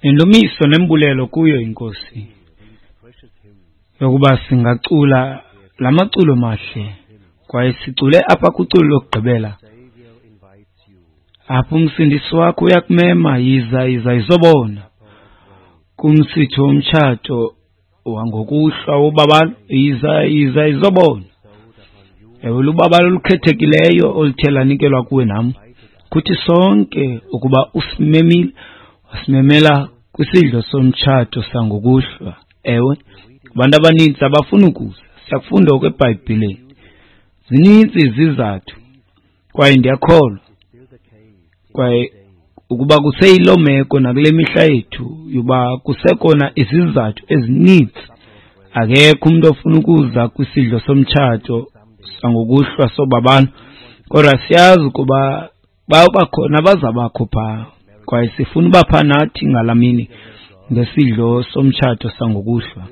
Indumiso nembulelo kuyo iNkosi yokuba singacula la maculo mahle, kwaye sicule apha kwiculo lokugqibela. Apho umsindisi wakho uyakumema, yiza, yiza, izobona kumsitho womtshato wangokuhlwa wobabalo, yiza, yiza, izobona. Ewe, lubabalo olukhethekileyo oluthe lanikelwa kuwe nam, kuthi sonke ukuba usimemile, wasimemela kwisidlo somtshato sangokuhlwa. Ewe, abantu abaninzi abafuni ukuza, siyakufunda oku eBhayibhileni. Zininzi izizathu, kwaye ndiyakholwa kwaye ukuba kuseyiloo meko nakule mihla yethu, yoba kusekona izizathu ezininzi. Akekho umuntu ofuna ukuza kwisidlo somtshato sangokuhlwa sobabalo, kodwa siyazi ukuba bayoba khona abazabakho phaa, kwaye sifuna uba phaa nathi ngalaa mini ngesidlo somtshato sangokuhlwa.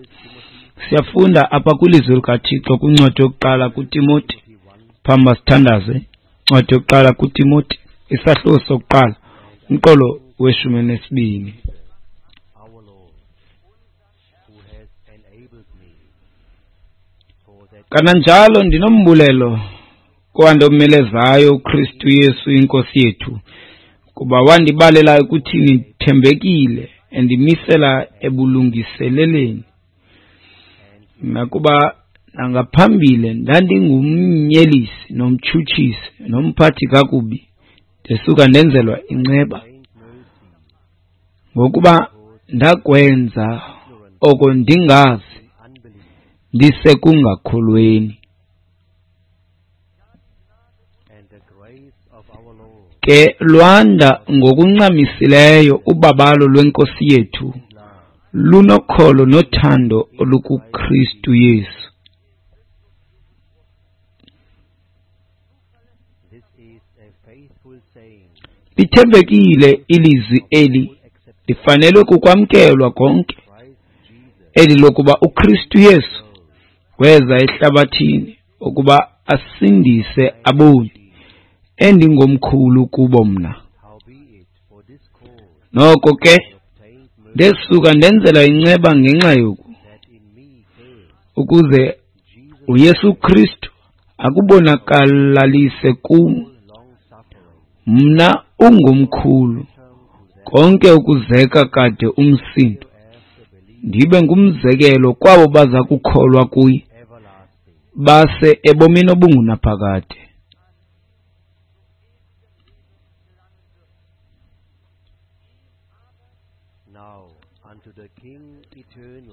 Siyafunda apha kwilizwi likaThixo kwincwadi yokuqala kuTimoti, phambi masithandaze. Incwadi yokuqala kuTimoti, isahluko sokuqala, umqolo weshumi nesibini. Kananjalo ndinombulelo kowandomelezayo uKristu Yesu iNkosi yethu, kuba wandibalela ekuthini ndithembekile, endimisela ebulungiseleleni. Nakuba nangaphambili ndandingumnyelisi nomtshutshisi nomphathi kakubi, ndesuka ndenzelwa inceba, ngokuba ndakwenza oko ndingazi, ndisekungakholweni. Ke lwanda ngokuncamisileyo ubabalo lweNkosi yethu, lunokholo nothando olukuKristu Yesu. Lithembekile ilizwi eli, lifanelwe kukwamkelwa konke, eli lokuba uKristu Yesu weza ehlabathini ukuba asindise aboni, endingomkhulu kubo mna. Noko ke ndesuka ndenzela inceba ngenxa yoku, ukuze uYesu Kristu akubonakalalise kum mna ungomkhulu konke ukuzeka kade umsindo, ndibe ngumzekelo kwabo baza kukholwa kuye base ebomini obungunaphakade.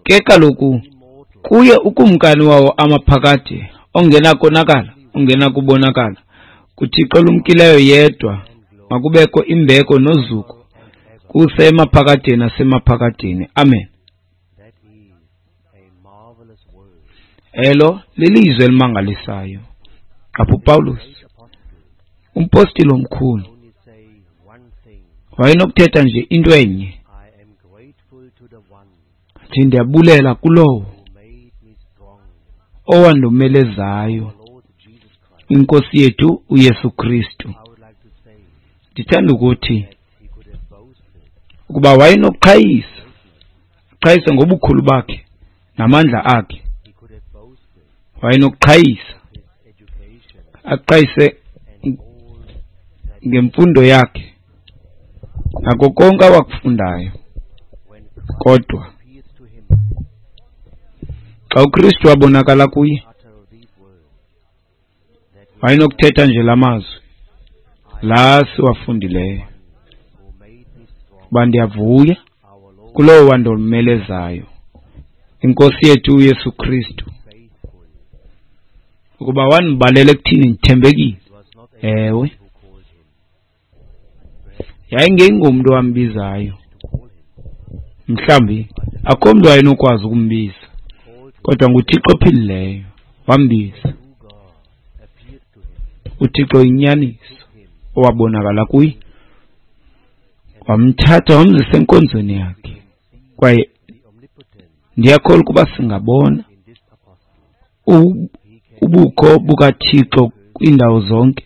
Ke kaloku kuye ukumkani wawo amaphakade, ongenakonakala, ongenakubonakala, kuThixo olumkileyo yedwa, makubekho imbeko nozuko kuse emaphakadeni nasemaphakadeni. Amen. Elo lilizwi elimangalisayo. Apho uPawulos, umpostile omkhulu, wayenokuthetha nje into enye, athi ndiyabulela kulowo owandomelezayo, iNkosi yethu uYesu Kristu. Ndithanda ukuthi ukuba wayenokuqhayisa, aqhayise ngobukhulu bakhe namandla akhe. Wayenokuqhayisa, aqhayise ngemfundo yakhe nako konke awakufundayo. Kodwa xa uKristu wabonakala kuye, wayenokuthetha nje la mazwi la siwafundileyo, uba ndiyavuya kulowo wandomelezayo, iNkosi yethu uYesu Kristu, ukuba wandibalela ekuthini ndithembekile. Ewe, yayingengomntu owambizayo, mhlawumbi akho mntu wayenokwazi ukumbiza, kodwa nguThixo ophilileyo wambiza. uThixo inyaniso owabonakala kuye, wamthatha wamzisa enkonzweni yakhe. Kwaye ndiyakholwa ukuba singabona ubukho bukaThixo kwiindawo zonke.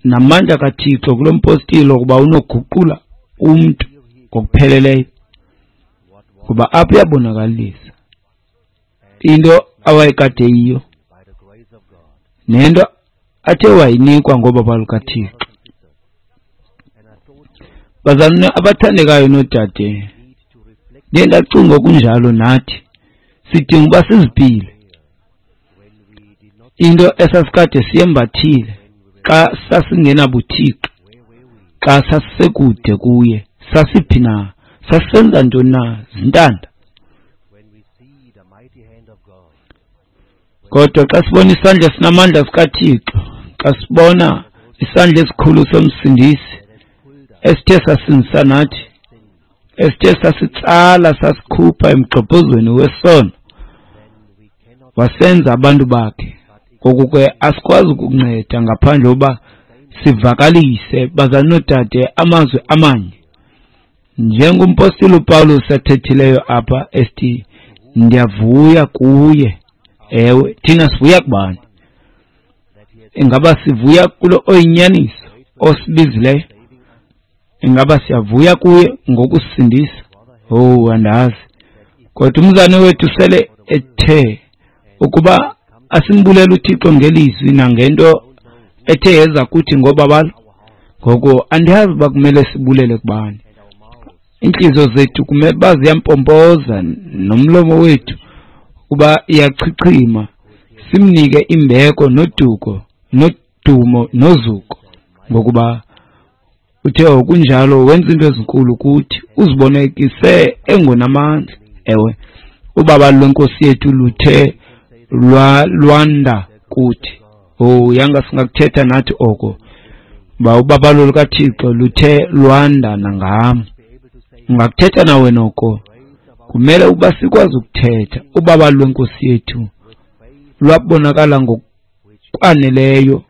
namandla kaThixo kulo mpostile ukuba unoguqula umntu ngokupheleleyo, kuba apha uyabonakalisa into awayekade yiyo nento athe wayinikwa ngobabalo lukaThixo. Bazalwane abathandekayo noodade, ndiye ndacinga okunjalo nathi sidinga uba siziphile into esasikade siyembathile xa sasingenabuthixo, xa sasisekude kuye. Sasiphi na? Sasisenza ntoni na? Zintanda. Kodwa xa sibona isandla esinamandla sikaThixo, xa sibona isandla esikhulu soMsindisi esithe sasindisa nathi, esithe sasitsala sasikhupha emgxobhozweni wesono, wasenza abantu bakhe, ngoku ke asikwazi ukunceda ngaphandle kokuba sivakalise, bazalwane noodade, amazwi amanye njengompostile uPawulos athethileyo apha esithi, ndiyavuya kuye. Ewe, thina sivuya kubani? Ingaba sivuya kulo oyinyaniso osibizileyo? Ingaba siyavuya kuye ngokusindisa? Oh, andazi. Kodwa umzane wethu sele ethe ukuba asimbulela uThixo ngelizwi nangento ethe yeza kuthi ngobabalo. Ngoko andiyazi uba kumele sibulele kubani. Iintliziyo zethu kumele uba ziyampompoza nomlomo wethu uba iyachichima, simnike imbeko noduko nodumo nozuko, ngokuba uthe okunjalo wenza into ezinkulu kuthi, uzibonekise engonamandla. Ewe, ubabalo lwenkosi yethu luthe lwanda kuthi. Oh, yanga singakuthetha nathi oko, uba ubabalo lukaThixo luthe lwanda nangam. Ungakuthetha nawe noko. Kumele ukuba sikwazi ukuthetha ubabalo lwenkosi yethu lwabonakala ngokwaneleyo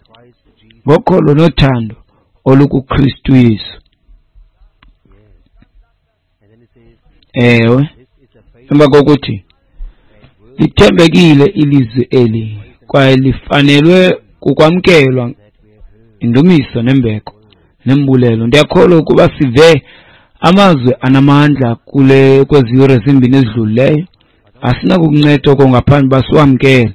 ngokholo nothando olukuKristu Yesu. Ewe, emva kokuthi lithembekile ilizwi eli kwaye lifanelwe kukwamkelwa indumiso nembeko nembulelo. Ndiyakholwa ukuba sive amazwi anamandla kule kwezi yure zimbini ezidlulileyo. Asinakukunceda oko ngaphandle uba siwamkele.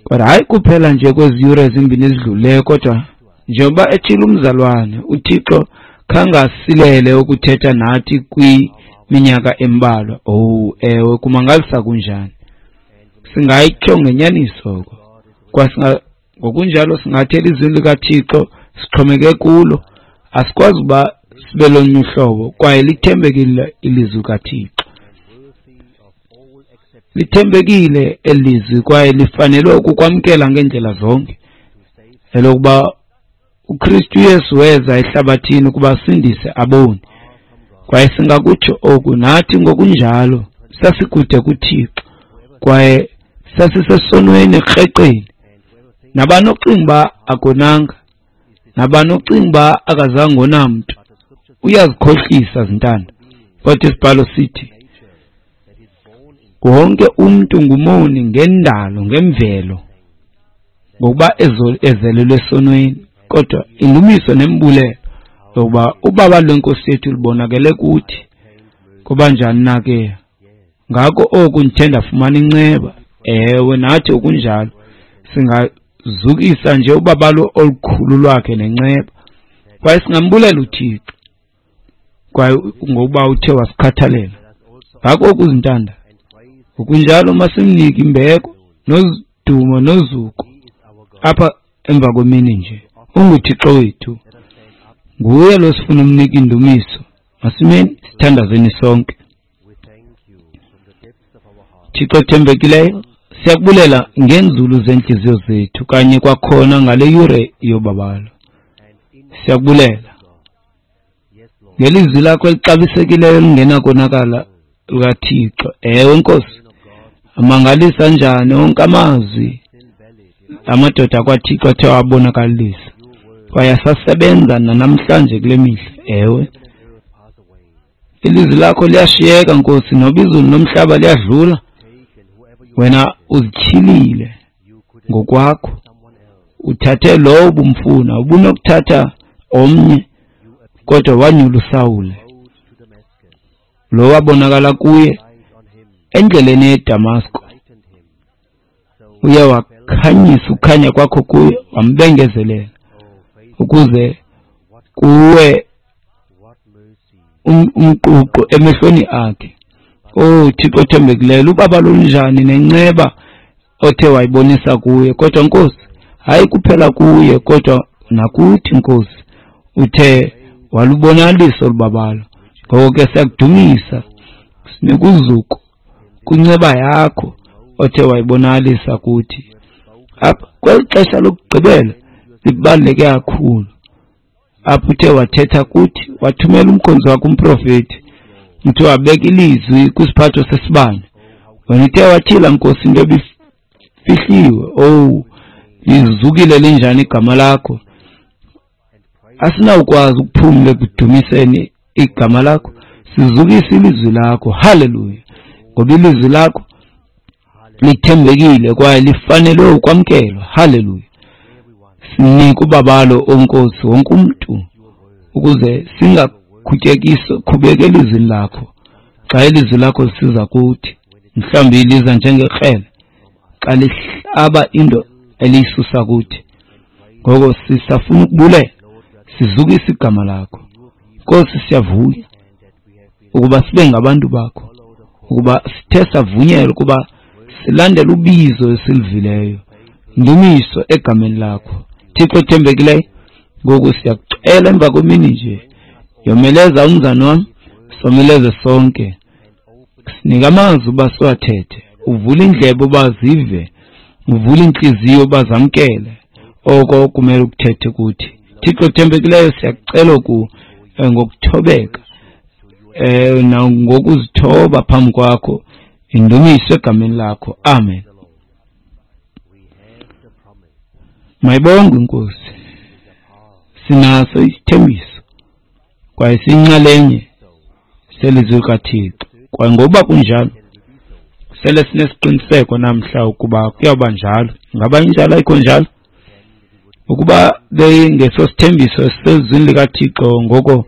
Kodwa hayi kuphela nje kwezi yure zimbini ezidlulileyo, kodwa njengoba ethile umzalwane, uThixo khangasilele ukuthetha nathi kwiminyaka embalwa. Oh, ewe, kumangalisa kunjani. Singayitsho ngenyaniso oko. Kwa ngokunjalo singathi elizwini likaThixo sixhomeke kulo. Asikwazi uba sibe lonye uhlobo, kwaye lithembekile ilizwi likaThixo. Lithembekile elizwi kwaye lifanelwe ukukwamkela ngeendlela zonke. Elokuba uKristu Yesu weza ehlabathini ukuba asindise aboni. Kwaye singakutsho oku nathi ngokunjalo, sasikude kuThixo kwaye sasisesonweni ekreqeni. Nabani ocinga uba akonanga, nabani ocinga uba akazange ona mntu, uyazikhohlisa zintanda. Kodwa isibhalo sithi wonke umntu ngumoni ngendalo, ngemvelo, ngokuba ezelelwe esonweni. Kodwa indumiso nembulelo yokuba ubabalo lwenkosi yethu lubonakele kuthi. Kuba njani na ke? Ngako oku ndithe ndafumana inceba. Ewe, nathi okunjalo singazukisa nje ubabalo olukhulu lwakhe nenceba, kwaye singambulela uThixo kwaye ngokuba uthe wasikhathalela. Ngako oku zintanda, ngokunjalo masimnike imbeko nodumo nozuko apha emva kwemini nje. UnguThixo wethu, nguye lo sifuna umnika indumiso. Masimeni sithandazeni sonke. Thixo othembekileyo, siyakubulela ngeenzulu zeentliziyo zethu kanye kwakhona ngale yure yobabalo. Siyakubulela ngelizwi lakho elixabisekileyo elingenakonakala lukaThixo. Ewe Nkosi, amangalisa njani onke amazwi amadoda akwaThixo athe wabonakalisa, kwaye asasebenza nanamhlanje kule mihla. Ewe, ilizwi lakho liyashiyeka Nkosi, noba izulu nomhlaba liyadlula, wena uzityhilile ngokwakho, Uthathe lowo ubumfuna, ubunokuthatha omnye, kodwa wanyula uSawule, lo wabonakala kuye endleleni yeDamasko. Uye wakhanyisa ukhanya kwakho kuye, wambengezelela ukuze kuwe umququ emehlweni akhe. Oh Thixo othembekileyo, lubaba lunjani nenceba othe wayibonisa kuye. Kodwa Nkosi, hayi kuphela kuye kodwa nakuthi Nkosi, uthe walubonalisa olubabalo. Ngoko ke siyakudumisa, sinika uzuko kwinceba yakho othe wayibonakalisa kuthi. Apha kweli xesha lokugqibela libaluleke kakhulu, apho uthe wathetha kuthi, wathumela umkhonzi wakho umprofethi, uthe wabeka ilizwi kwisiphatho sesibane. Wena uthe watyhila Nkosi into ebifihliwe. Owu, lizukile linjani igama lakho! Asinawukwazi ukuphumla ekudumiseni igama lakho, sizukise ilizwi lakho. Haleluya! Ngoba ilizwi lakho lithembekile kwaye lifanelwe ukwamkelwa. Haleluya! Sinike ubabalo, o Nkosi, wonke umntu, ukuze singakhubeki elizwini lakho. Xa ilizwi lakho lisiza kuthi, mhlawumbi liza njengekrele xa lihlaba into eliyisusa kuthi. Ngoko sisafuna ukubulela, sizukise igama lakho. Nkosi, siyavuya ukuba sibe ngabantu bakho, ukuba sithe savunyelwa ukuba silandele ubizo esilivileyo. Ndumiso egameni lakho, Thixo othembekileyo. Ngoku siyakucela emva kwemini nje, yomeleza umzana wam, someleze sonke, sinike amazwi uba siwathethe, uvule indlebe uba zive, uvule intliziyo uba zamkele oko kumele ukuthethe kuthi. Thixo othembekileyo, siyakucela oku ngokuthobeka nangokuzithoba phambi kwakho. Indumiso egameni lakho, amen. Mayibongwe iNkosi. Sinaso isithembiso kwaye siyinxalenye selizwi likaThixo, kwaye ngokuba kunjalo sele sinesiqiniseko namhla ukuba kuyawuba njalo. Ngaba injalo? Ayikho njalo? Ukuba bengesosithembiso esisezwini likaThixo, ngoko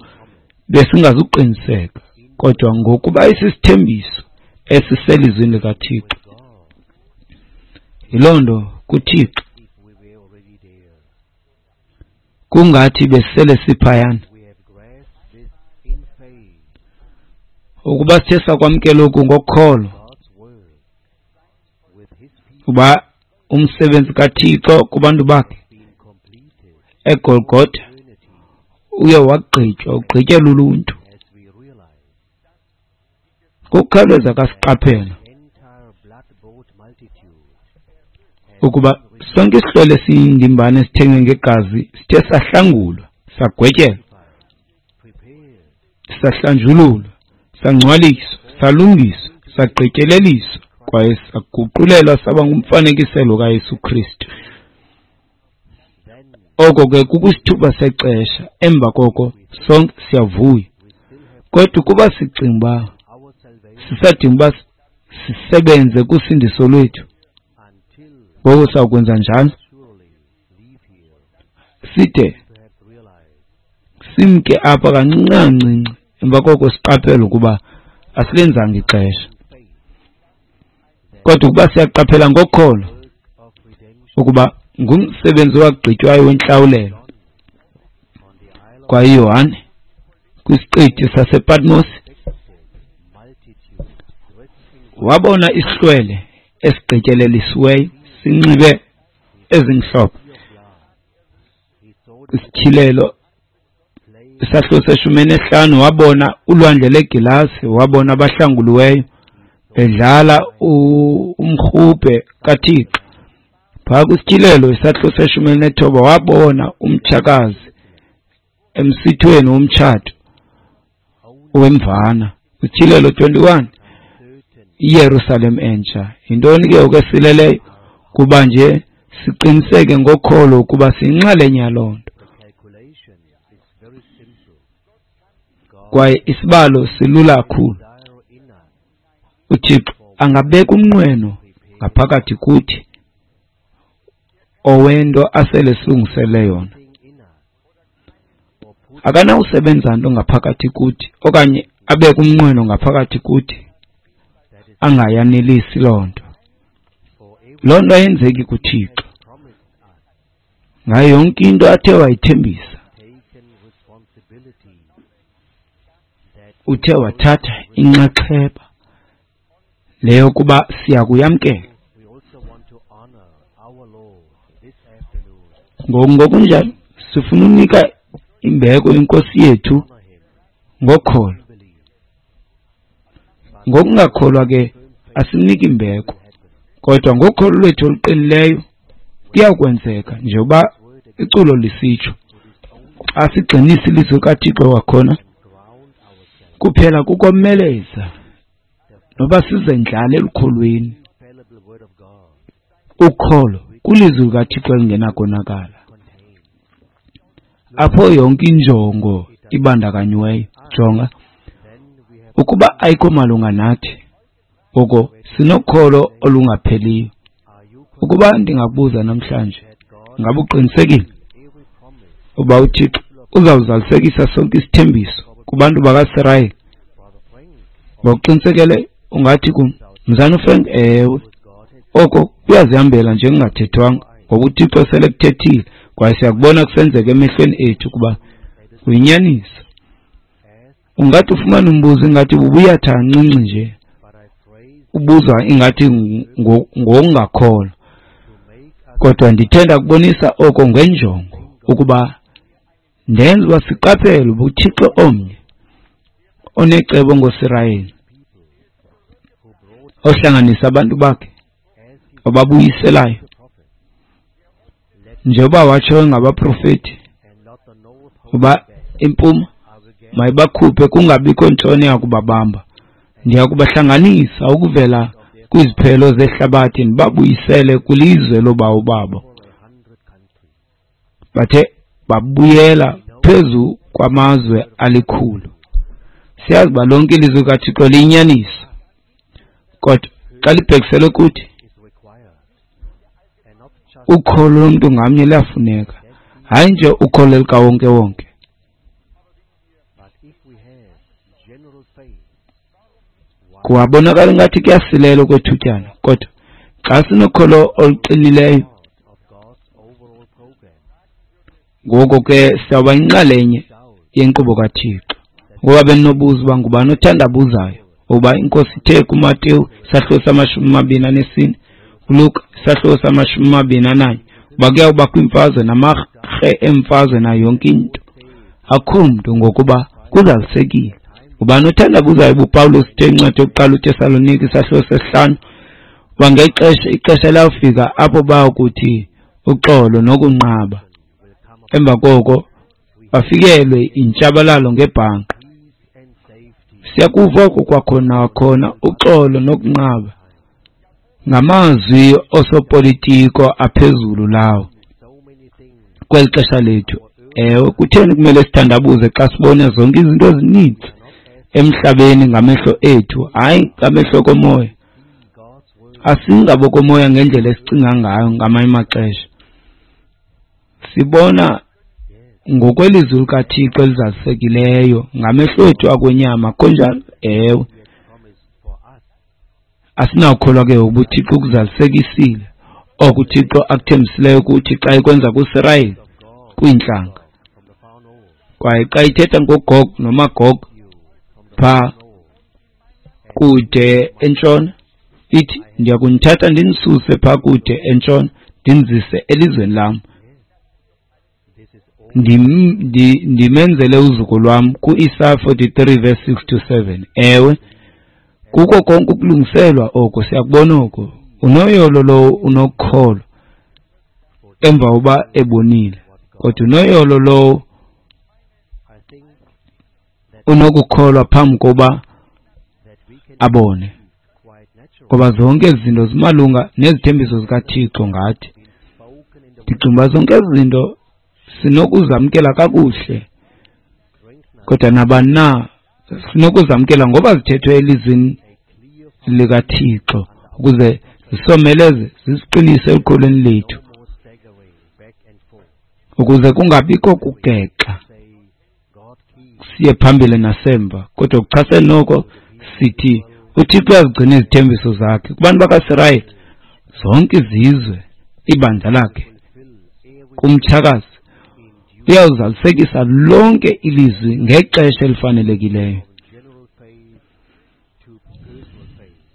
besingazuqiniseka, kodwa ngokuba isisithembiso esiselizwini likaThixo, yiloo nto kuThixo kungathi besele siphayana. Ukuba sithe sakwamkela oku ngokholo, uba umsebenzi kaThixo kubantu bakhe eGolgotha uye wagqitywa, ugqityelwa uluntu. Ngokukhawuleza kasiqaphela ukuba sonke isihlwele esiyindimbane esithengwe ngegazi sithe sahlangulwa, sagwetyelwa, sahlanjululwa, sangcwaliswa, salungiswa, sagqityeleliswa, kwaye saguqulelwa saba ngumfanekiselo kaYesu Kristu. Oko ke kukwisithuba sexesha, emva koko sonke siyavuya. Kodwa ukuba sicinga uba sisadinga uba sisebenze kusindiso lwethu, ngoko sawukwenza njalo side simke apha kancinci kancinci, emva koko siqaphele ukuba asilenzanga ixesha. Kodwa ukuba siyaqaphela ngokholo ukuba ngumsebenzi owagqitywayo wentlawulelo, kwaye uYohane kwisiqithi sasePatmos wabona isihlwele esigqityelelisiweyo sinxibe ezimhlophe. Isityhilelo isahluko se-15 wabona ulwandle legilasi, wabona abahlanguliweyo bedlala umrhubhe kaThixo. Phaa kwisityhilelo isahluko se-19 wabona umtshakazi emsithweni womtshato wemvana. Isityhilelo 21 iYerusalem entsha. Yintoni ke ngoku esileleyo? Kuba nje siqiniseke ngokholo ukuba siyinxalenye yaloo nto. Kwaye isibalo silula kakhulu. uThixo angabeka umnqweno ngaphakathi kuthi owento asele silungisele yona. Akanawusebenza nto ngaphakathi kuthi okanye abeke umnqweno ngaphakathi kuthi angayanelisi loo nto. Loo nto ayenzeki kuThixo. Ngayo yonke into athe wayithembisa, uthe wathatha inxaxheba leyo kuba siyakuyamkela. Ngokunjalo sifuna unika imbeko inkosi yethu ngokholo. Ngokungakholwa ke asimniki imbeko, kodwa ngokholo lwethu oluqinileyo kuyakwenzeka njengoba iculo lisitsho. Xa sigxinisa ilizwi likaThixo kwakhona, kuphela kukomeleza noba sizendlale elukholweni. Ukholo kulizwi likaThixo elingenakonakala, apho yonke injongo ibandakanyiweyo. Jonga, ukuba ayikho malunga nathi, ngoko sinokholo olungapheliyo. Ukuba ndingakubuza namhlanje, ngabe uqinisekile uba uThixo uzawuzalisekisa sonke isithembiso kubantu bakaSirayeli? Ngokuqinisekele ungathi kum, Mzana uFrank, ewe, oko kuyazihambela nje kungathethwanga, ngoba uThixo sele kuthethile kwaye siyakubona kusenzeka emehlweni ethu ukuba kuyinyaniso. Ungathi ufumana umbuzo ingathi bubuyatha kancinci nje, ubuzwa ingathi ngokungakholwa, kodwa ndithe ndakubonisa oko ngenjongo ukuba ndenze uba siqaphele uba uThixo omnye onecebo ngoSirayeli, ohlanganisa abantu bakhe, obabuyiselayo njengoba watsho ngabaprofeti uba impuma mayibakhuphe kungabikho ntshona yakubabamba. Ndiya kubahlanganisa ukuvela kwiziphelo zehlabathi ndibabuyisele kwilizwe loobawo babo. Bathe babuyela phezu kwamazwe alikhulu. Siyazi uba lonke ilizwi likaThixo liyinyaniso, kodwa xa libhekiselwe kuthi, ukholo lomntu ngamnye luyafuneka, hayi nje ukholo likawonkewonke. Kuwabonakala ngathi kuyasilela okwethutyana, kodwa xa sinokholo oluqinileyo, ngoko ke siyawuba yinxalenye yenkqubo kaThixo. Ngoba bendinobuza uba ngubani othandabuzayo ukuba inkosi ithe kuMateyu isahluko sama-24, kuLuka isahluko sama-21, uba kuyawubakho iimfazwe namarhe emfazwe nayo yonke into. Akukho mntu, ngokuba kuzalisekile. Ngubani othandabuzayo uba uPawulos uthe incwadi yokuqala uTesalonike isahluko sesihlanu, uba ngexesha ixesha liyawufika apho bayakuthi uxolo nokunqaba, emva koko bafikelwe intshabalalo ngebhanqa. Siyakuva oko kwakhona khona, uxolo nokunqaba, ngamazwi osopolitiko aphezulu lawo kweli xesha lethu. Ewe, kutheni kumele sithandabuze xa sibona zonke izinto ezininzi emhlabeni ngamehlo ethu, hayi ngamehlo komoya? Asingabokomoya ngendlela esicinga ngayo ngamanye amaxesha. Sibona ngokwelizwi likaThixo elizalisekileyo ngamehlo ethu akwenyama, kunjalo? Ewe. Asinawukholwa ke ukuba uThixo ukuzalisekisile oko uThixo akuthembisileyo kuthi xa ekwenza kuSirayeli kwiintlanga. Kwaye xa ithetha ngoGog noMagog phaa kude entshona, ithi ndiya kunithatha ndinisuse phaa kude entshona ndinizise elizweni lam, ndimenzele uzuko lwam, kuIsaya 43 verse 6 to 7. Ewe, kuko konke ukulungiselwa oko, siyakubona oko. Unoyolo lowo unokholo emva kokuba ebonile, kodwa unoyolo lowo unokukholwa phambi kokuba abone, ngoba zonke ezi zinto zimalunga nezithembiso zikaThixo ngathi. Ndicinga uba zonke ezi zinto sinokuzamkela kakuhle, kodwa nabani na sinokuzamkela ngoba zithethwe elizwini likaThixo ukuze zisomeleze, zisiqinise elukholweni lethu. Ukuze kungabikho kugexa siye phambili nasemva, kodwa kuchasene noko sithi uThixo uyazigcina izithembiso zakhe kubantu bakaSirayeli, zonke izizwe, ibandla lakhe, kumtshakazi uyawuzalisekisa lonke ilizwi ngexesha elifanelekileyo.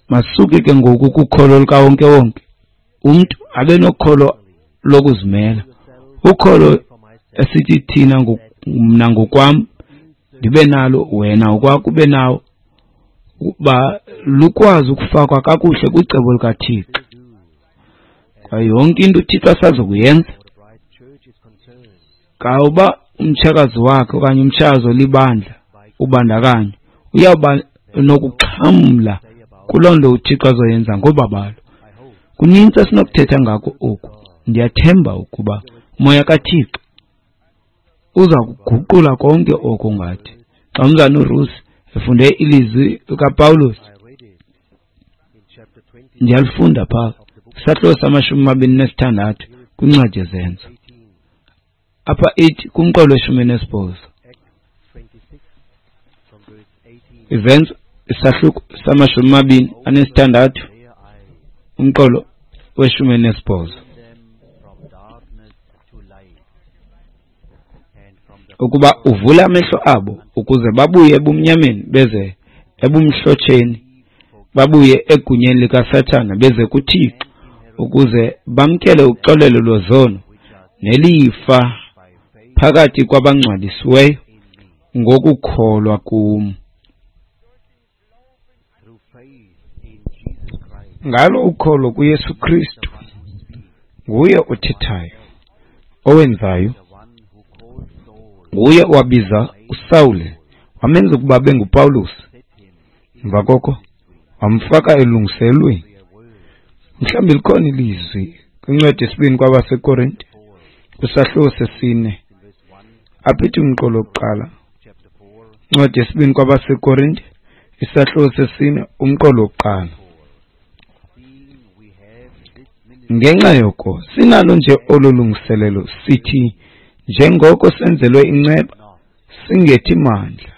Masuke ke ngoku kukholo lukawonke-wonke, umntu abe nokholo lokuzimela, ukholo esithi thina, mna ngokwam ndibe nalo, wena ngokwakho ube nawo, ukuba lukwazi ukufakwa kakuhle kwicebo likaThixo. Kwaye yonke into uThixo asazokuyenza, kawuba umtshakazi wakhe okanye umtshakazi olibandla ubandakanywa, uyawuba nokuxhamla kuloo nto uThixo azoyenza ngobabalo. Kunintsi esinokuthetha ngako oku. Ndiyathemba ukuba uMoya kaThixo uza kuguqula konke oko ngathi. Xa umzana uRusi efunde ilizwi likaPawulos, ndiyalifunda phaa isahluko sama-26 kwincwadi yeZenzo, apha ithi kumqolo we-18. Izenzo isahluko sama-26 umqolo we-18. Ukuba uvule amehlo abo ukuze babuye ebumnyameni beze ebumhlotsheni, babuye egunyeni likaSathana beze kuThixo, ukuze bamkele uxolelo lwezono nelifa phakathi kwabangcwalisiweyo ngokukholwa kum. Ngalo ukholo kuYesu Kristu, nguye othethayo, owenzayo, nguye owabiza uSawule wamenza ukuba abe nguPawulos, emva koko wamfaka elungiselweni. Mhlawumbi likhona ilizwi kwincwadi yesibini kwabaseKorinte kwisahluko sesine, apha ithi umqolo wokuqala. Incwadi yesibini kwabaseKorinte isahluko sesine umqolo wokuqala. Ngenxa yoko sinalo nje olu lungiselelo, sithi njengoko senzelwe inceba singethi mandla,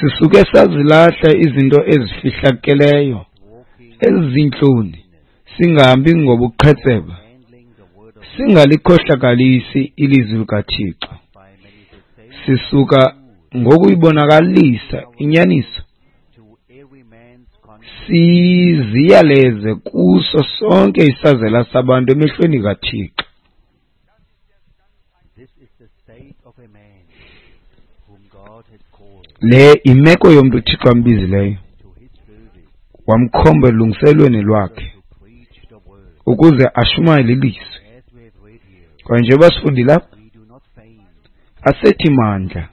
sisuke sazilahla izinto ezifihlakeleyo ezizintloni, singahambi ngobuqhetseba, singalikhohlakalisi ilizwi likaThixo. Sisuka ngokuyibonakalisa inyaniso siziyaleze kuso sonke isazela sabantu emehlweni kaThixo. Le imeko yomntu uThixo ambizileyo, wamkhomba elungiselweni lwakhe ukuze ashumayele ilizwi. Kwaye njengoba sifundile apha, asethi mandla,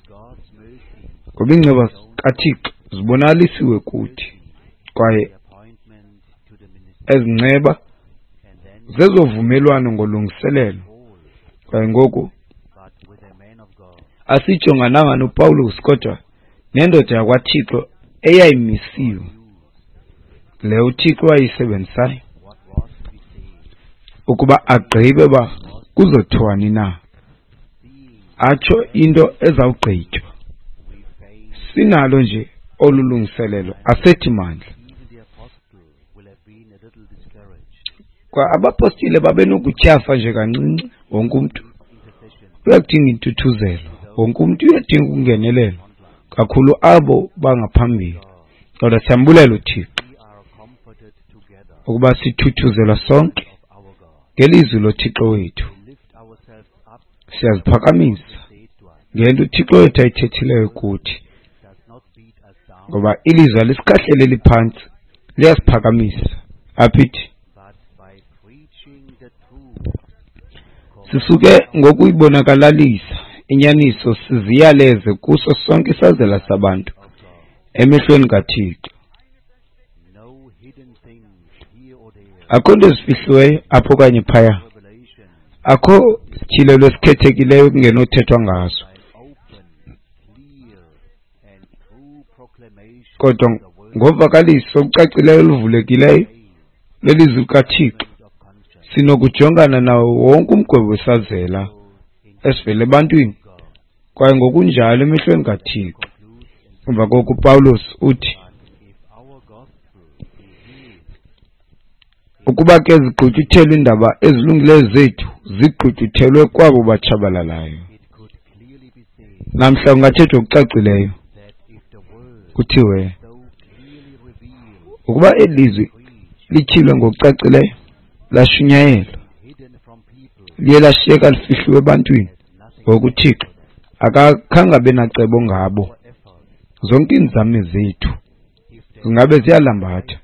ngoba iinceba kaThixo zibonakalisiwe kuthi, kwaye ezinceba zezovumelwano ngolungiselelo. Kwaye ngoku asijongananga noPawulos, kodwa nendoda yakwaThixo eyayimisiwe, le uThixo wayisebenzisayo ukuba agqibe uba kuzothiwani na, atsho into ezawugqitywa. Sinalo nje olu lungiselelo, asethi mandla. Kwa abapostile babenokutyhafa nje kancinci. Wonke umntu uyadinga intuthuzelo, wonke umntu uyadinga ukungenelelwa, kakhulu abo bangaphambili. Kodwa siyambulela uThixo ukuba sithuthuzelwa sonke ngelizwi loThixo wethu. Siyaziphakamisa ngento uThixo wethu ayithethileyo kuthi, ngoba ilizwi alisikhahleleli phantsi, liyasiphakamisa. Aphithi sisuke ngokuyibonakalalisa inyaniso siziyaleze kuso sonke isazela sabantu emehlweni kaThixo. Akho nto ezifihliweyo apho okanye phaya, akho sityhilelo esikhethekileyo kungenothethwa ngaso, kodwa ngovakaliso olucacileyo oluvulekileyo lwelizwi likaThixo sinokujongana nawo wonke umgwebo wesazela esivela ebantwini kwaye ngokunjalo emehlweni kaThixo. Emva koko uPawulos uthi, ukuba ke zigqutyuthelwe iindaba ezilungileyo zethu, zigqutyuthelwe kwabo batshabalalayo. Namhla kungathethwa ngokucacileyo kuthiwe ukuba eli lizwi lityhilwe ngokucacileyo, lashunyayelwa, liye lashiyeka lifihliwe ebantwini, ngoku uThixo akakhange abe nacebo ngabo. Zonke iinzame zethu zingabe ziyalambatha.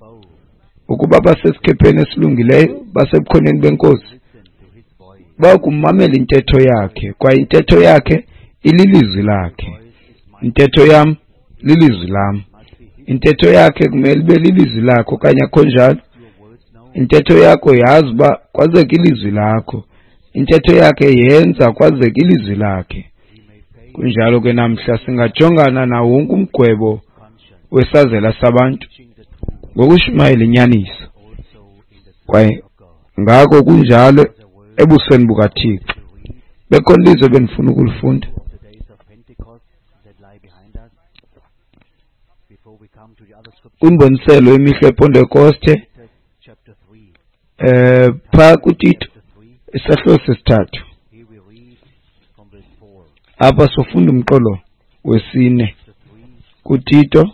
Ukuba basesikhepheni esilungileyo, basebukhoneni beNkosi, bayakumamela intetho yakhe, kwaye intetho yakhe ililizwi lakhe. Intetho yam lilizwi lam. Intetho yakhe kumele ibe lilizwi lakhe okanye akho njalo. Intetho yakho yazi uba kwazeka ilizwi lakho. Intetho yakhe yenza kwazeka ilizwi lakhe. Kunjalo ke namhla singajongana nawo wonke umgwebo wesazela sabantu ngokushumayela inyaniso, kwaye ngako kunjalo ebusweni bukaThixo. Bekhona ilizwi ebendifuna ukulifunda kwimboniselo yemihla yePentekoste, phaa kuTito isahluko sesithathu. Apha sofunda umqolo wesine kuTito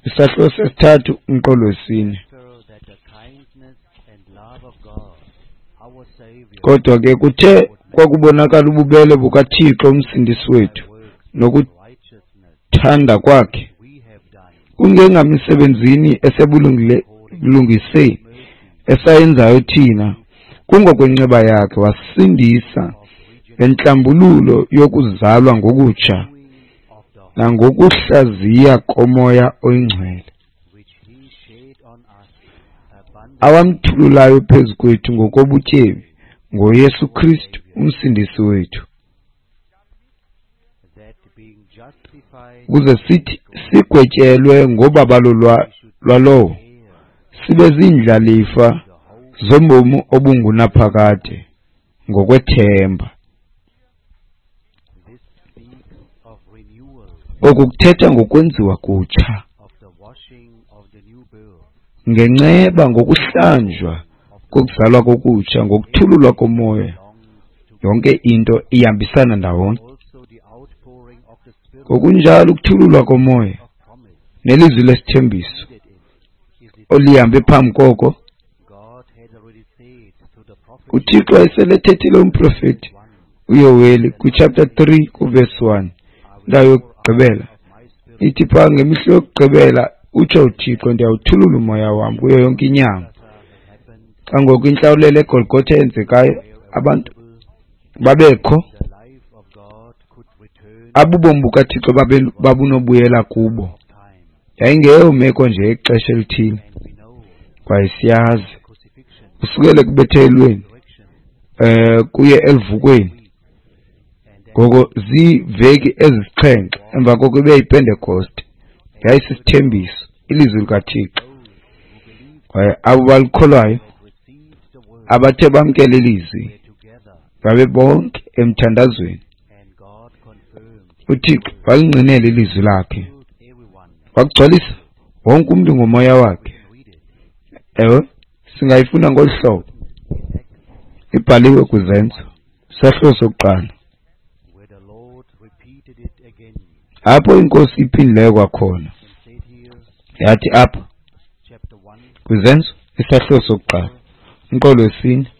isahluko sesithathu umqolo wesine. Kodwa ke kuthe kwakubonakala ububele bukaThixo umsindisi wethu nokuthanda kwakhe, kungengamisebenzini esebulungiseni esayenzayo thina, kungokwenceba yakhe wasindisa ngentlambululo yokuzalwa ngokutsha nangokuhlaziya komoya oyingcwele, awamthululayo phezu kwethu ngokobutyebi ngoYesu Kristu umsindisi wethu, ukuze sithi sigwetyelwe ngobabalo lwalowo sibe ziindlalifa zobomi obungunaphakade ngokwethemba. Oku kuthetha ngokwenziwa kutsha ngenceba, ngokuhlanjwa kokuzalwa kokutsha, ngokuthululwa komoya. Yonke into ihambisana ndawonye. Ngokunjalo ukuthululwa komoya nelizwi lesithembiso olihambe phambi koko, uThixo wayeselethethile umprofeti uYoweli kwichapter 3 kuverse 1, indawo yokugqibela ithi phaa, ngemihla yokugqibela utsho uThixo, ndiyawuthulula umoya wam kuyo yonke inyama. Xa ngoku intlawulelo eGolgotha yenzekayo, abantu babekho, abubomi bukaThixo babunobuyela kubo. Yayingeyo meko nje yexesha elithile, kwaye siyazi kusukela ekubethelweni kuye eluvukweni, ngoko ziiveki ezisixhenxe emva koko ibe yiPentekoste. Yayisisithembiso, ilizwi likaThixo, kwaye abo balikholwayo, abathe bamkela ilizwi, babe bonke emthandazweni. UThixo walingqinela ilizwi lakhe, wakugcwalisa wonke umntu ngomoya wakhe. Ewe, singayifunda ngolu hlobo, ibhaliwe kwiZenzo isahluko sokuqala, apho iNkosi iphindileyo kwakhona yathi apha kwiZenzo isahluko sokuqala umqolo wesine,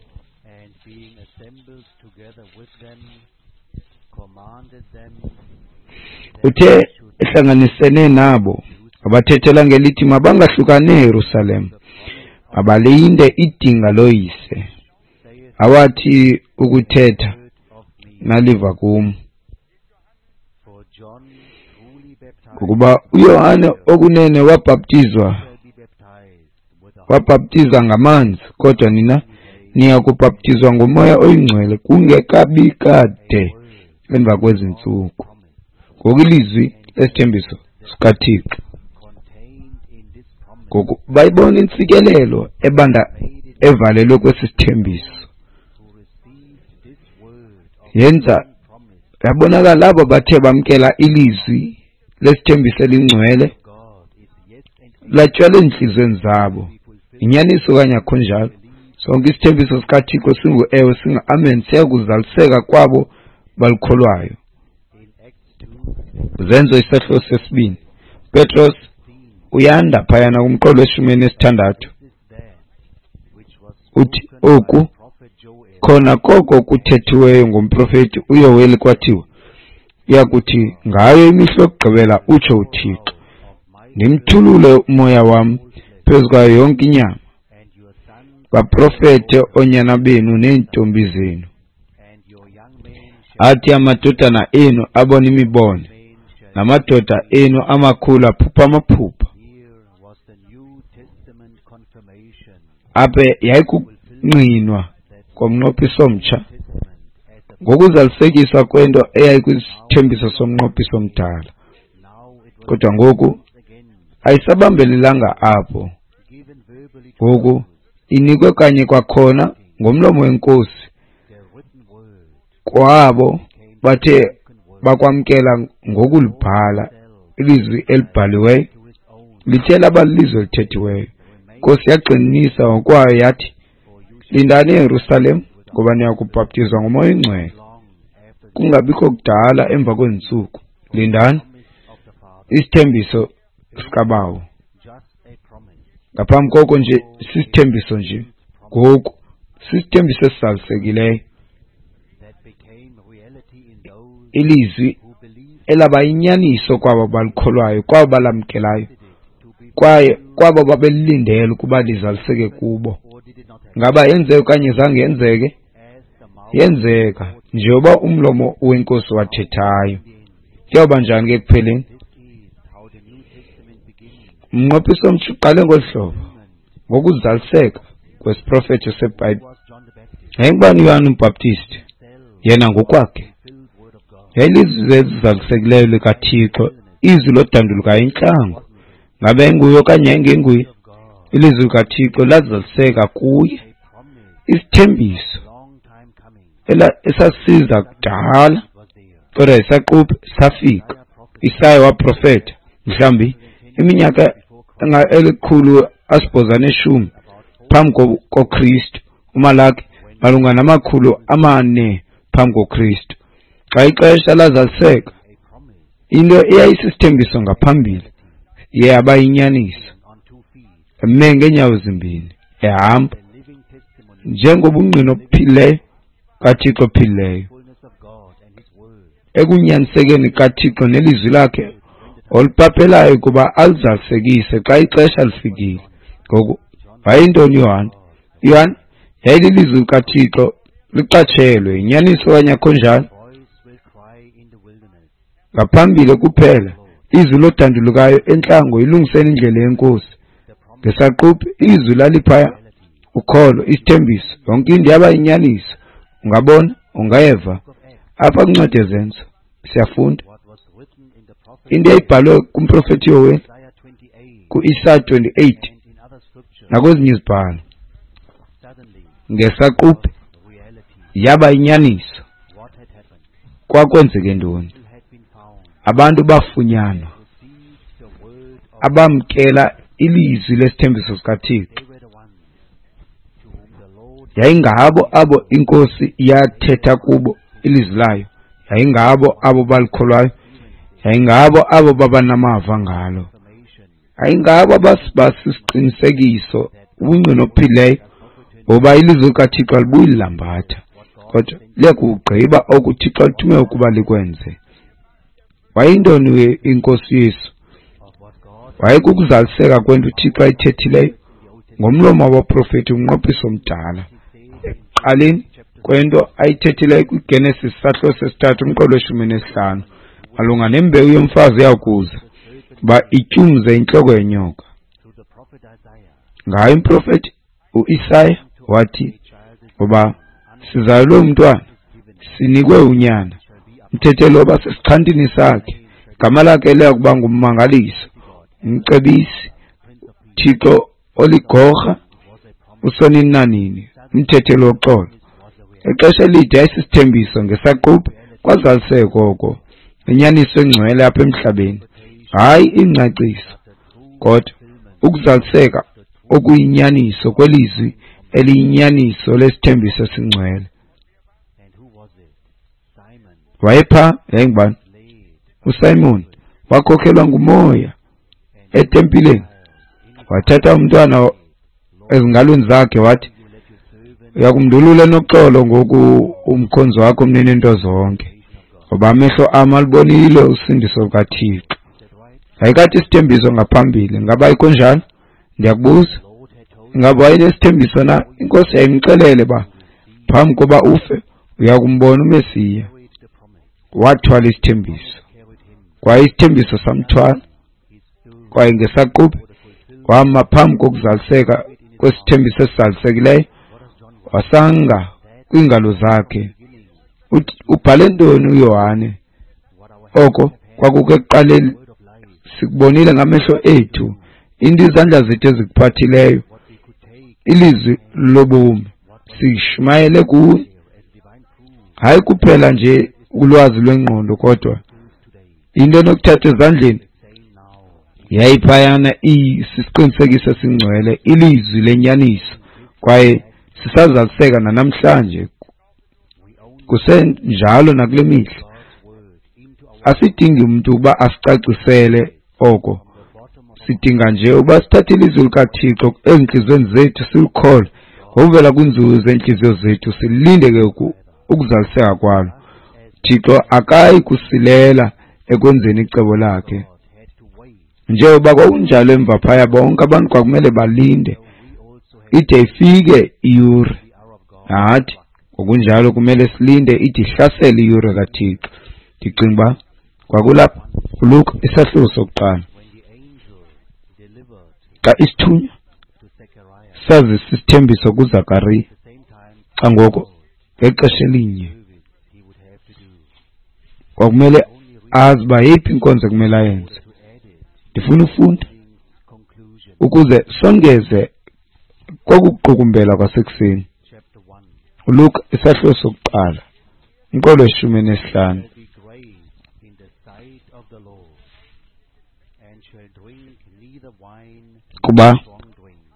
uthe ehlanganisene nabo wabathethela ngelithi mabangahlukani eYerusalem, mabalinde idinga loyise awathi ukuthetha naliva kum. Ngokuba uYohane okunene wabhaptiza ngamanzi, kodwa nina niya kubhaptizwa ngomoya oyingcwele kungekabi kade emva kwezi ntsuku. Ngoku ilizwi lesithembiso sikaThixo Ngoku bayibona intsikelelo ebanda evalelwe kwesi sithembiso. Yenza yabonakala abo bathe bamkela ilizwi lesithembiso elingcwele latyalwa ezintliziyweni zabo. Inyaniso okanye akho njalo? Sonke isithembiso sikaThixo singu-ewe, singu-amen, siya kuzaliseka kwabo balikholwayo. Zenzo isahluko sesibini. Petros uyanda phayana kumqolo weshumi elinesithandathu. Uthi oku khona koko kuthethiweyo ngomprofeti uYoweli kwathiwa, uyakuthi ngayo imihla yokugqibela utsho uThixo, ndimthulule umoya wam phezu kwayo yonke inyama, baprofete oonyana benu neentombi zenu. Athi amadodana enu abone imibono, namadoda enu amakhulu aphupha amaphupha. Apha yayikungqinwa komnqophiso omtsha ngokuzalisekiswa kwento eyayikwisithembiso somnqophiso omdala. Kodwa ngoku ayisabambelelanga apho. Ngoku inikwe kanye kwakhona ngomlomo wenkosi kwabo bathe bakwamkela ngokulibhala ilizwi elibhaliweyo, lithe laba lilizwi elithethiweyo. Inkosi yagxininisa ngokwayo yathi, lindani eYerusalem ngoba niya kubhaptizwa ngoMoya oyiNgcwele kungabikho kudala emva kweentsuku. Lindani isithembiso sikaBawo. Ngaphambi koko nje sisithembiso nje, ngoku sisithembiso esizalisekileyo, ilizwi elaba yinyaniso kwabo balikholwayo, kwabo balamkelayo, kwaye kwabo babelilindele ukuba lizaliseke kubo. Ngaba yenzeka okanye zange yenzeke? Yenzeka njengoba umlomo wenkosi wathethayo. Kuyawuba njani ke ekupheleni? Umnqophiso omtsha uqale ngolu hlobo, ngokuzaliseka kwesiprofeto seBhayibhile. Yayingubani uYohane uMbhaptizi? Yena ngokwakhe yayilizwi elizalisekileyo likaThixo, izwi lodandulukayo entlango. Ngabe yayinguye okanye yayingenguye? Ilizwi likaThixo lazaliseka kuye, isithembiso esasiza kudala kodwa isaquphe safika. Isaya waprofeta mhlawumbi iminyaka 810 phambi koKristu, uMalaki malunga 400 phambi koKristu. Xa ixesha lazaliseka, into eyayisisithembiso ngaphambili yaba yinyaniso. Eme ngeenyawo zimbini ehamba njengobungqina obuphilileyo kaThixo ophilileyo, ekunyanisekeni kaThixo nelizwi lakhe oluphaphelayo ukuba alizalisekise xa ixesha lifikile. Ngoku wayeyintoni uYohane? uYohane yayililizwi likaThixo liqatshelwe, yinyaniso okanye akho njalo? Ngaphambili kuphela izwi lodandulukayo entlango, ilungiseni indlela yenkosi. Ngesaquphe izwi laliphaya, ukholo, isithembiso, yonke into yaba yinyaniso. Ungabona, ungeva. Apha kwincwadi yeZenzo siyafunda into eyayibhalwe kumprofeti Yoweli ku-Isaya 28 nakwezinye izibhalo. Ngesaquphe yaba yinyaniso. Kwakwenzeke ntoni? Abantu bafunyanwa abamkela ilizwi lesithembiso sikaThixo. Yayingabo abo inkosi yathetha kubo ilizwi layo, yayingabo abo balikholwayo, yayingabo abo babanamava ngalo, yayingabo abasisiqinisekiso ubungqina obuphilileyo ngoba ilizwi likaThixo alibuyi lilambatha, kodwa liyakugqiba oku uThixo alithume ukuba likwenze. Wayeyintoni inkosi Yesu? Wayekukuzaliseka kwento uThixo ayithethileyo ngomlomo wabaprofeti umnqophiso omdala. Ekuqaleni kwento ayithethileyo kwiGenesis sahluko sesithathu umqolo we-15 malunga nembewu yomfazi eyakuza uba ityumze intloko yenyoka. Ngayo umprofeti uIsaya wathi, ngoba sizalelwe umntwana, sinikwe unyana, umthetheli woba sesixhantini sakhe, igama lakhe liya kuba nguMmangaliso, uMcebisi, uThixo oligorha, usonini nanini, umthetheli woxolo. Ixesha elide yayisisithembiso, ngesaquphe kwazaliseka oko, inyaniso engcwele apha emhlabeni. Hayi ingcaciso, kodwa ukuzaliseka okuyinyaniso kwelizwi eliyinyaniso lesithembiso esingcwele. Wayepha yayingubani? USimon wakhokhelwa ngumoya etempileni, wathatha umntwana ezingalweni zakhe wathi, uyakumndulula enoxolo ngoku umkhonzi wakho mnini into zonke, ngoba amehlo am alubonile usindiso lukaThixo. Yayikade isithembiso ngaphambili, ngaba ayikho njalo? Ndiyakubuza, ingaba wayenesithembiso na? Inkosi yayimxelele ba phambi koba ufe uyakumbona uMesiya. Wathwala isithembiso, kwaye isithembiso samthwala, kwaye ngesaquphe wama phambi kokuzaliseka kwesithembiso esizalisekileyo, wasanga kwiingalo zakhe. Ubhale ntoni uYohane? Oko kwakukho ekuqaleni, sikubonile ngamehlo ethu, into izandla zethu ezikuphathileyo, ilizwi lobomi, sishumayele kuwe. Hayi kuphela nje ulwazi lwengqondo, kodwa into enokuthatha ezandleni yayiphayana isisiqinisekiso esingcwele, ilizwi lenyaniso, kwaye sisazaliseka nanamhlanje, kusenjalo nakule mihla. Asidingi umuntu ukuba asicacisele oko, sidinga nje ukuba sithathe ilizwi likaThixo ezintliziyweni zethu, silikholwe ngokuvela kwinzulu zeentliziyo zethu, silinde ke ukuzaliseka kwalo. Thixo akayi kusilela ekwenzeni icebo lakhe. Njengoba kwakunjalo emva phaya, bonke abantu kwakumele balinde ide ifike iyure. Nathi ngokunjalo kumele silinde ide ihlasele iyure kaThixo. Ndicinga uba kwakulapha kuLuka isahluko sokuqala, xa isithunywa sazisa isithembiso kuZakariya, xa ngoko ngexesha elinye kwakumele azi uba yeyiphi inkonzo ekumele ayenze. Ndifuna ufunda ukuze songeze kokuqukumbela kwasekuseni. uLuka isahluko sokuqala, umqolo weshumi nesihlanu. Kuba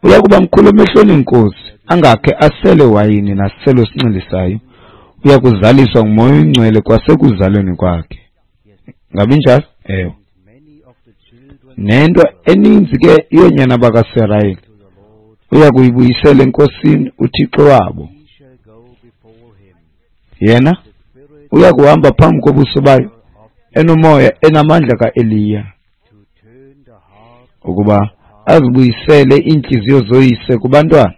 uya kuba mkhulu emehlweni enkosi, angakhe asele wayini nasiselo esinxilisayo, uya kuzaliswa nguMoya oyiNgcwele kwasekuzalweni kwakhe. Ngabi njalo? Ewe. Nento eninzi ke yoonyana bakaSirayeli uya kuyibuyisela enkosini uThixo wabo. Yena uya kuhamba phambi kobuso bayo enomoya enamandla kaEliya, ukuba azibuyisele iintliziyo zoyise kubantwana,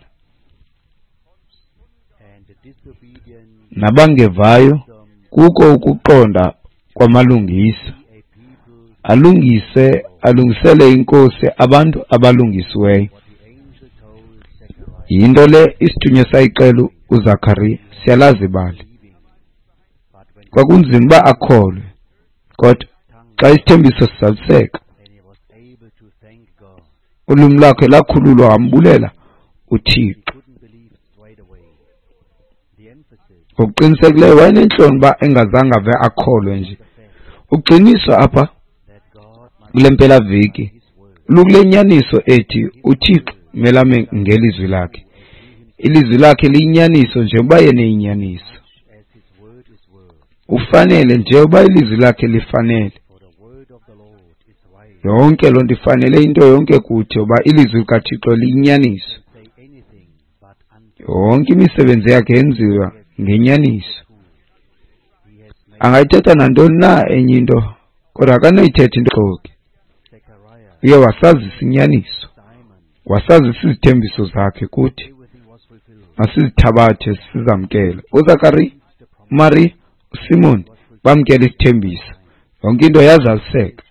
nabangevayo kuko ukuqonda kwamalungisa, alungise alungisele inkosi abantu abalungisiweyo. Yinto le isithunywa sayixela uZakariya, siyalazi ibali. Kwakunzima uba akholwe, kodwa xa isithembiso sizaliseka, ulwimi lwakhe lakhululwa, wambulela uThixo. Ngokuqinisekileyo wayenentloni uba engazange ave akholwe nje. Ugxiniswa apha kule mpelaveki lukule nyaniso ethi uThixo melame ngelizwi lakhe. Ilizwi lakhe liyinyaniso njengoba yena eyinyaniso. Ufanele njengoba ilizwi lakhe lifanele. Yonke loo nto ifanele into yonke kuthi, uba ilizwi likaThixo liyinyaniso. Yonke imisebenzi yakhe yenziwa ngenyaniso. Angayithetha nantoni na enye into, kodwa akanoyithetha into xoki. Uye wasazisa inyaniso, wasazisa izithembiso zakhe kuthi, masizithabathe sizamkele. uZakariya, uMariya, uSimon bamkela isithembiso, yonke into yazaliseka.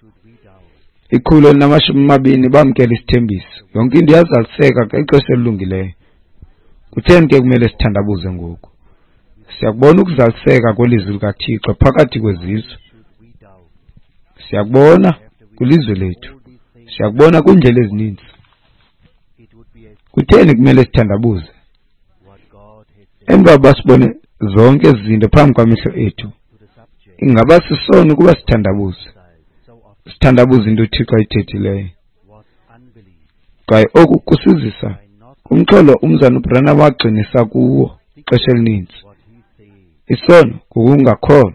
120 bamkela isithembiso, yonke into yazaliseka ngexesha elilungileyo. Kutheni ke kumele sithandabuze ngoku? Siyakubona ukuzaliseka kwelizwi likaThixo phakathi kwezizwe, siyakubona kwilizwe lethu, siyakubona kwiindlela ezininzi. Kutheni kumele sithandabuze emva kokuba sibone zonke ezi zinto phambi kwamehlo ethu? Ingaba sisono ukuba sithandabuze, sithandabuze into uThixo ayithethileyo? Kwaye oku kusizisa kumxholo umzana uBranham wagxinisa kuwo ixesha elininzi. Isono kukungakholwa,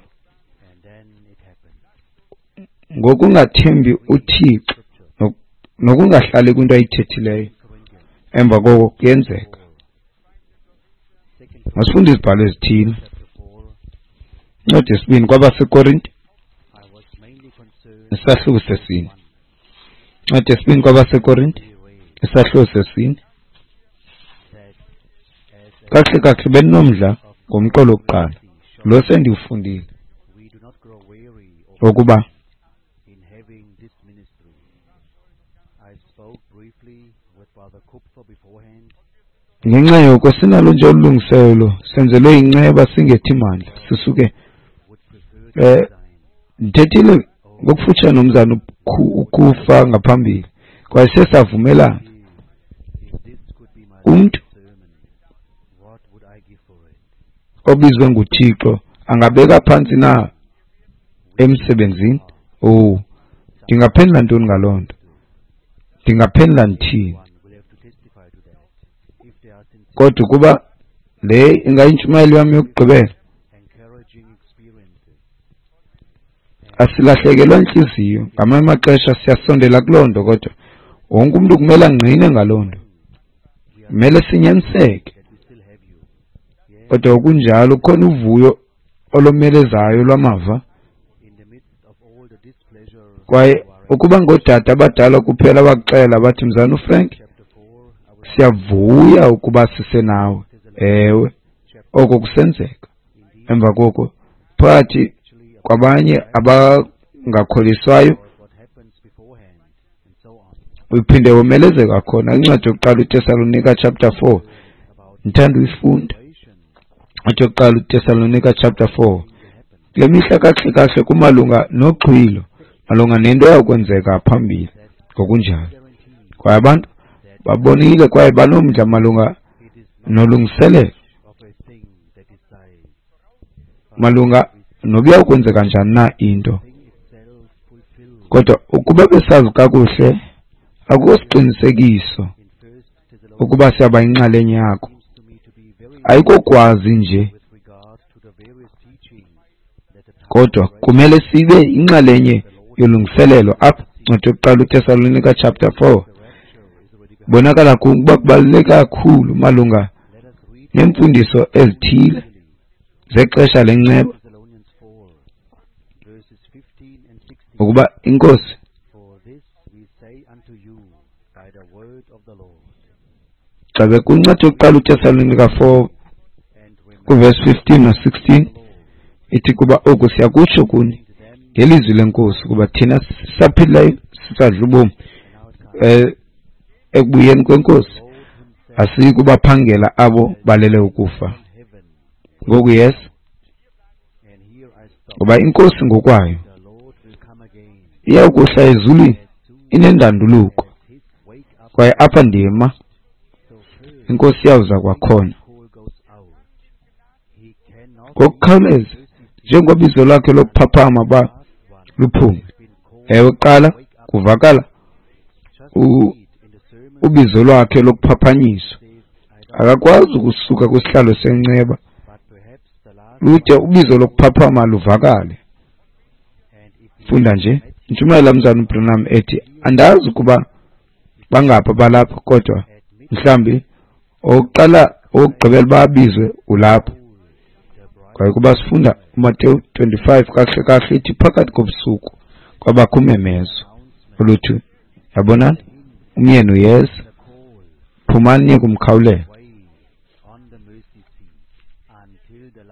ngokungathembi uThixo nokungahlali kwinto ayithethileyo. Emva koko kuyenzeka. Masifunde izibhalo ezithile. Incwadi yesibini kwabaseKorinte, isahluko sesine. Incwadi yesibini kwabaseKorinte, isahluko sesine. Kakuhle kakuhle beninomdla ngomqolo wokuqala lo sendiwufundile, wokuba ngenxa yoko sinalo nje olu lungiselelo, senzelwe inceba singethi mandla sisuke. Ndithethile ngokufutshane nomzana ukufa ngaphambili, kwaye siye savumelana. Umntu obizwe nguThixo angabeka phantsi na emsebenzini? Oh, ndingaphendula ntoni ngaloo nto? Ndingaphendula ndithini? Kodwa ukuba le ingayintshumayelo yam yokugqibela, asilahlekelwa intliziyo. Ngamanye amaxesha siyasondela kuloo nto, kodwa wonke umntu kumele angqine ngaloo nto. Kumele sinyaniseke. Kodwa kunjalo kukhona uvuyo olomelezayo lwamava. Kwaye ukuba ngoodade abadala kuphela abakuxela bathi, Mzana uFrank, siyavuya ukuba sisenawe. Ewe, oko kusenzeka. Emva koko phakathi kwabanye abangakholiswayo uphinde womelezeka khona. Incwadi yokuqala uTesalonika chapter 4, ndithanda uyifunda. Incwadi yokuqala uTesalonika chapter 4. Kule mihla kakuhle kakuhle kumalunga noxhwilo, malunga nento eyakwenzeka phambili ngokunjalo. Kwaye abantu babonile kwaye banomdla malunga nolungiselelo, malunga nobuya kwenzeka njani na into. Kodwa ukuba besazi kakuhle, akukho siqinisekiso ukuba siyaba yinxalenye yako. Ayikokwazi nje, kodwa kumele sibe inxalenye yolungiselelo. Apha incwadi yokuqala uTesalonika chapter 4 bonakala ukuba kubaluleke kakhulu malunga neemfundiso ezithile zexesha lenceba, ukuba inkosi xa kwincwadi yokuqala uTesalonika 4 kuverse 15 no 16 ithi, kuba oku siyakutsho kuni ngelizwi lenkosi, kuba thina sisaphilayo sisadla ubomi ekubuyeni kwenkosi asiyi kubaphangela abo balele ukufa. Ngoku yes, ngoba inkosi ngokwayo iyawukuhla ezulwini inendanduluko, kwaye apha ndima, inkosi iyawuza kwakhona ngokukhawuleza njengobizo lwakhe lokuphaphama ba luphume. Ewe, kuqala kuvakala ubizo lwakhe lokuphaphanyiswa. Akakwazi ukusuka kwisihlalo senceba lude ubizo lokuphaphama luvakale. Funda nje intshumayelo mzana uBranham ethi, andazi ukuba bangapha balapha, kodwa mhlambi owokuqala owokugqibela babizwe ulapha. Kwaye kuba sifunda uMateyu 25 kakuhle kakuhle ithi phakathi kobusuku kwabakho umemezo oluthi, yabonani, umyeni uyeza, phumani niye kumkhawulela.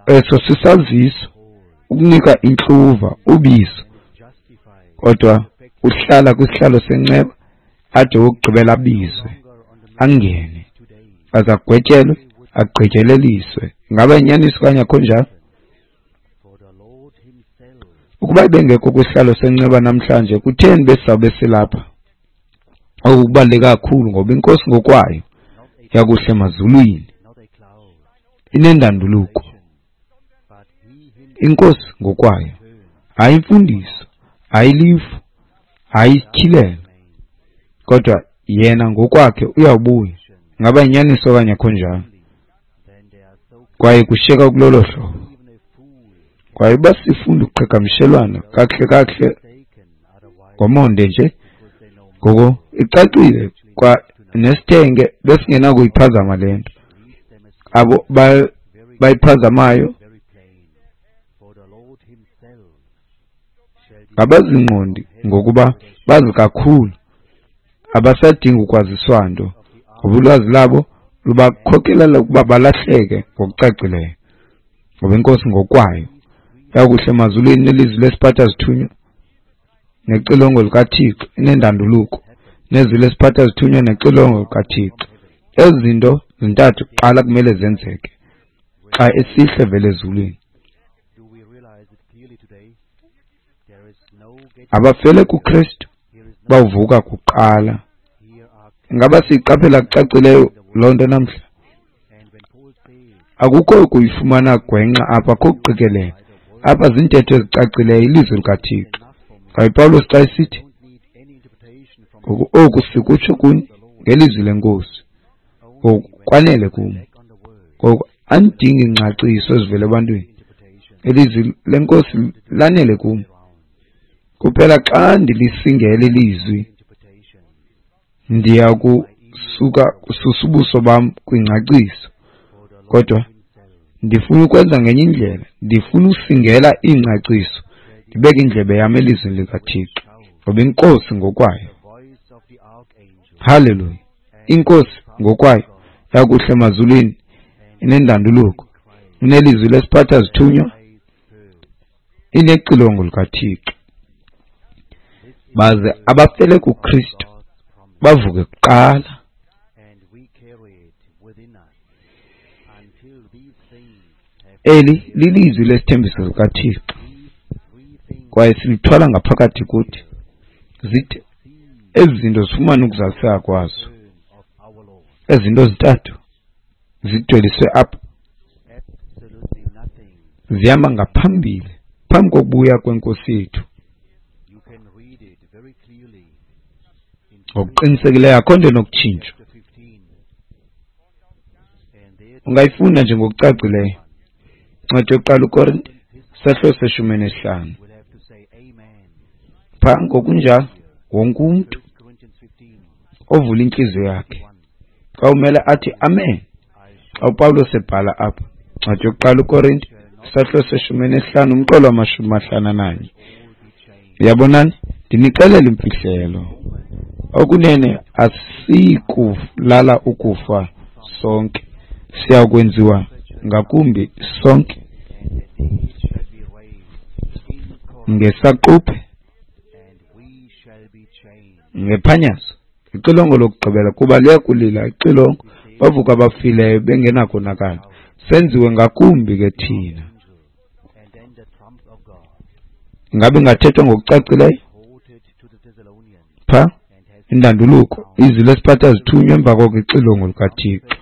Eso sisaziso ukunika intluva ubizo, kodwa uhlala kwisihlalo senceba ade wokugqibela abizwe, angene, aze agwetyelwe, agqityeleliswe. Ingaba inyaniso okanye akho njalo? Ukuba ibengekho kwisihlalo senceba namhlanje, kutheni besizawube silapha? Oku kubaluleke kakhulu ngoba inkosi ngokwayo yakuhle emazulwini inendanduluko, iNkosi ngokwayo, hayi imfundiso, hayi ilifu, hayi isityhilelo, kodwa yena ngokwakhe uyawubuya. Ingaba yinyaniso okanye akho njalo? Kwaye kushiyeka kulolo hlobo. Kwaye uba sifunda ukuqhagamshelwana kakuhle kakuhle ngomonde nje, ngoko icacile kwa nesithenge besingenakuyiphazama le nto. Abo bayiphazamayo ngabazingqondi ngokuba bazi kakhulu, abasadingi ukwaziswa nto, ngoba ulwazi labo lubakhokelela ukuba balahleke ngokucacileyo. Ngoba iNkosi ngokwayo yakuhle emazulwini nelizwi lesiphatha zithunywa nexilongo likaThixo inendanduluko, nezwi lesiphatha zithunywa nexilongo likaThixo. Ezi zinto zintathu kuqala kumele zenzeke xa esihle vele ezulwini. Abafele kuKristu bawuvuka kuqala. Ingaba siyiqaphela kucacileyo loo nto namhla? Akukho kuyifumana gwenxa apha, akho kuqikelela apha, ziintetho ezicacileyo, ilizwi likaThixo. Kwaye Pawulos xa esithi ngoku oku sikutsho kuni ngelizwi leNkosi, ngoku kwanele kum. Ngoku andidingi ingcaciso ezivela ebantwini, ilizwi leNkosi lanele kum. Kuphela xa ndilisingela ilizwi, ndiya kusuka kususa ubuso bam kwingcaciso. Kodwa ndifuna ukwenza ngenye indlela, ndifuna usingela ingcaciso, ndibeke indlebe yam elizwini likaThixo, ngoba iNkosi ngokwayo, haleluya, iNkosi ngokwayo yakuhle emazulwini inendanduluko, inelizwi lesiphatha zithunywa, inexilongo likaThixo. Baze abafele kuKristu bavuke kuqala. Eli lilizwi lesithembiso sikaThixo, kwaye silithwala ngaphakathi kuthi, zithi ezi zinto zifumane ukuzaliseka kwazo. Ezi zinto zintathu zidweliswe apha zihamba ngaphambili phambi kokubuya kweNkosi yethu. Ngokuqinisekileyo akho nto enokutshintshwa. Ungayifunda nje ngokucacileyo Incwadi yokuqala uKorinte sahlo se-15. Pha ngokunjalo wonke umntu ovula intliziyo yakhe xa umele athi amen. Xa uPawulos ebhala apha, Incwadi yokuqala uKorinte sahlo se-15 umqolo wama-51. Uyabonani, ndinixelela imfihlelo. Okunene asiyikulala ukufa sonke, siya kwenziwa ngakumbi sonke ngesaquphe, ngephanyazo, ixilongo lokugqibela, kuba liyakulila ixilongo, bavuka abafileyo bengenakonakala, senziwe ngakumbi ke thina. Ingabe ingathethwa ngokucacileyo? Pha indanduluko, izwi lesiphatha zithunywa emva koko ixilongo likaThixo.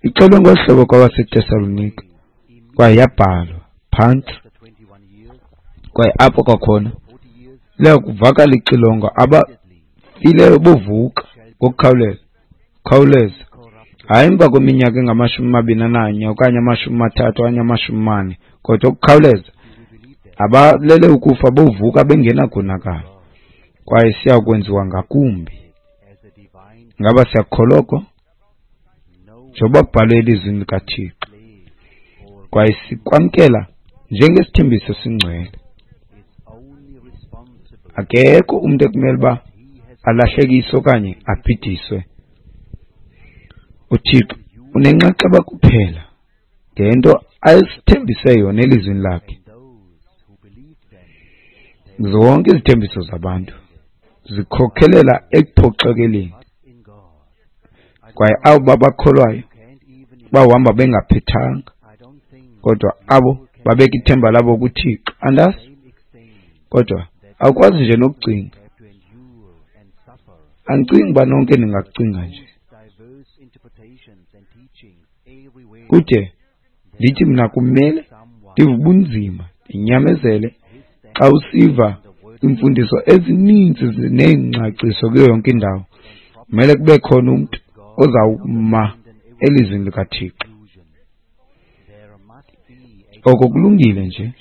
Ixelwe ngolu hlobo kwabaseTesalonika, kwaye yabhalwa phantsi. Kwaye apho kwakhona liya kuvakala ixilongo, abafileyo bovuka ngokukhawuleza, khawuleza, hayi emva kweminyaka engama-21 okanye 30 okanye 40, kodwa ukukhawuleza abalele ukufa bovuka bengenakonakala, kwaye siya kwenziwa ngakumbi. Ngaba siyakukholwa oko? Njengoba kubhalwe elizwini likaThixo, kwaye sikwamkela njengesithembiso esingcwele. Akekho umntu ekumele uba alahlekiswe okanye abhidiswe. UThixo unenxaxheba kuphela ngento ayisithembise yona elizwini lakhe. Zonke izithembiso zabantu zikhokhelela ekuphoxekeleni, kwaye abo babakholwayo bawuhamba bengaphethanga, kodwa abo babeka ithemba labo kuThixo, andazi, kodwa awukwazi nje nokucinga. Andicingi uba nonke ningakucinga nje. Kude ndithi mna kumele ndive ubunzima, ndinyamezele xa usiva iimfundiso ezininzi neengcaciso kuyo yonke indawo. Kumele kube khona umntu ozawuma elizwini likaThixo. Oko kulungile nje,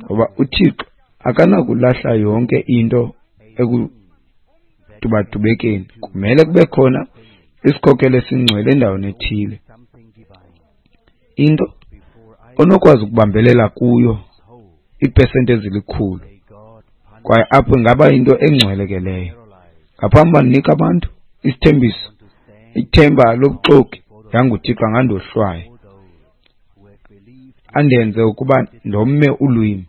ngoba uThixo akanakulahla yonke into ekudubadubekeni. Kumele kube khona isikhokelo esingcwele endaweni ethile, into onokwazi ukubambelela kuyo iipesenti ezilikhulu, kwaye apho ingaba yinto engcwele ke leyo. Ngaphambi uba ndinike abantu isithembiso, ithemba lobuxoki, yanguThixo angandohlwaya, andenze ukuba ndome ulwimi.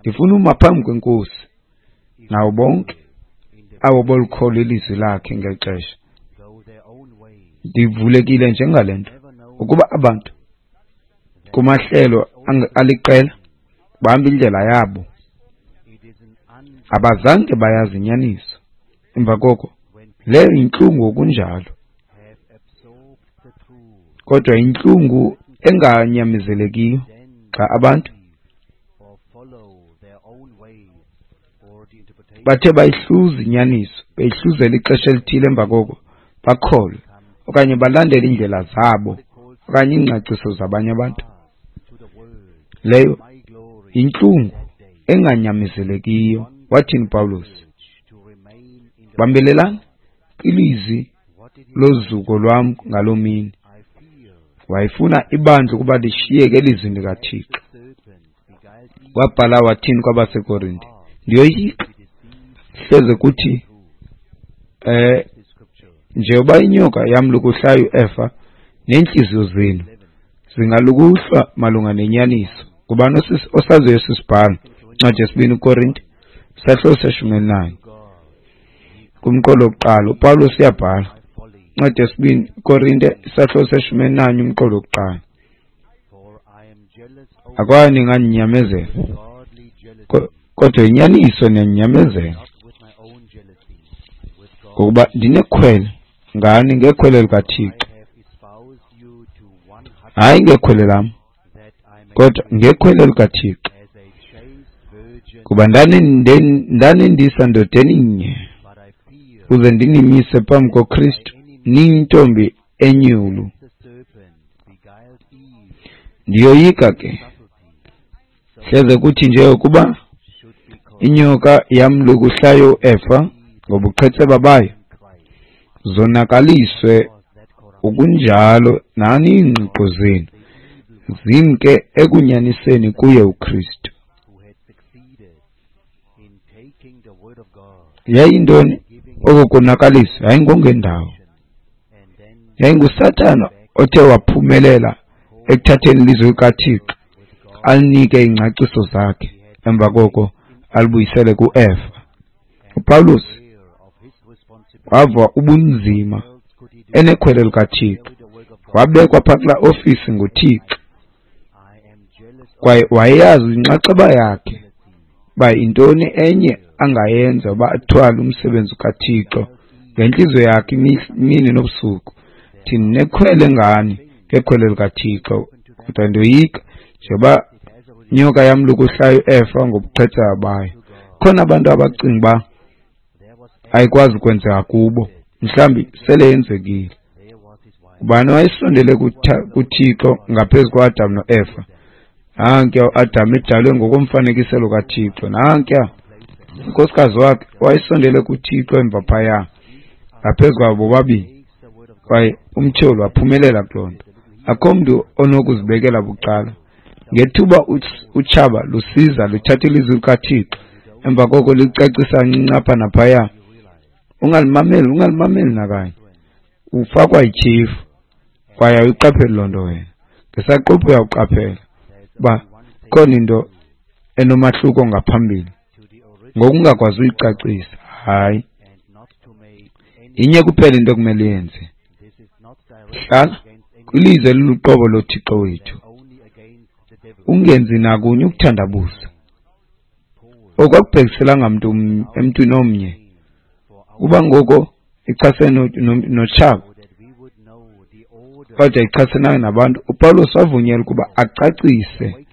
Ndifuna uma phambi kweNkosi nawo bonke abo bolukholo ilizwi lakhe ngeli xesha. Ndivulekile njengale nto, ukuba abantu kumahlelo aliqela bahamba indlela yabo, abazange bayazi inyaniso. Emva koko leyo yintlungu okunjalo, kodwa yintlungu enganyamezelekiyo xa abantu bathe bayihluza inyaniso, beyihluzela ixesha elithile, emva koko bakholwe okanye balandele iindlela zabo okanye iingcaciso zabanye abantu. Leyo yintlungu enganyamezelekiyo. Wathini uPawulos? Bambelelani kwilizwi lozuko lwam ngaloo mini. Wayefuna ibandla ukuba lishiyeke elizwini likaThixo. Wabhala wathini kwabaseKorinte? Ndiyoyika hleze kuthi njengoba inyoka yamlukuhlayo uEfa, neentliziyo zenu zingalukuhlwa malunga nenyaniso. Ngubani osaziyo esi sibhalo? Incwadi yesibini Korinte, isahluko seshumi elinanye, kumqolo wokuqala uPawulos uyabhala. Incwadi yesibini Korinte, isahluko seshumi elinanye, umqolo wokuqala. Akwaba ningandinyamezela, kodwa inyaniso niyandinyamezela, ngokuba ndinekhwele ngani ngekhwele likaThixo, hayi ngekhwele lam, kodwa ngekhwele likaThixo. Kuba ndanendisa ndodeni nye, ukuze ndinimise phambi koKristu niyintombi enyulu. Ndiyoyika ke hleze kuthi nje ukuba inyoka yamlukuhlayo uEfa ngobuqhetseba bayo, zonakaliswe ukunjalo nani iingqiqo zenu zimke ekunyaniseni kuye uKristu. Yayintoni oko konakaliswa? Yayingongendawo, yayinguSathana othe waphumelela ekuthatheni ilizwi likaThixo alinike iingcaciso zakhe, emva koko alibuyisele kuEfa. uPawulos wava ubunzima enekhwele likaThixo, wabekwa phaa kulaa ofisi nguThixo, kwaye wayeyazi inxaxheba yakhe uba yintoni enye angayenza uba athwale umsebenzi kaThixo ngentliziyo yakhe imini nobusuku. Thi ndinekhwele ngani ngekhwele likaThixo, kodwa ndiyoyika njengoba inyoka yamlukuhlayo uEfa ngobuqhetseba bayo. Khona abantu abacinga uba ayikwazi ukwenzeka kubo, mhlawumbi sele yenzekile. Ubani wayesondele kuThixo ngaphezu koAdam noEfa? Nankuya uAdam edalwe ngokomfanekiselo kaThixo, nankuya unkosikazi wakhe wayesondele kuThixo emva phaya ngaphezu kwabo bobabini, kwaye umtyholi waphumelela kuloo nto. Akho mntu onokuzibekela bucala. Ngethuba utshaba lusiza luthatha ilizwi likaThixo, emva koko licacisa kancinci apha naphaya, ungalimameli, ungalimameli nakanye. Ufakwa ityhefu kwaye awuyiqapheli loo nto wena. Ngesaquphe uyawuqaphela uba khona into enomahluko ngaphambili, ngokungakwazi uyicacisa. Hayi, inye kuphela into ekumele uyenze, hlala kwilizwi eliluqobo loThixo wethu, ungenzi nakunye ukuthandabuza. Oku akubhekiselanga mntu emntwini omnye, kuba ngoko ichasene notshaba. kodwa ichasenayo nabantu, uPawulos wavunyelwa ukuba acacise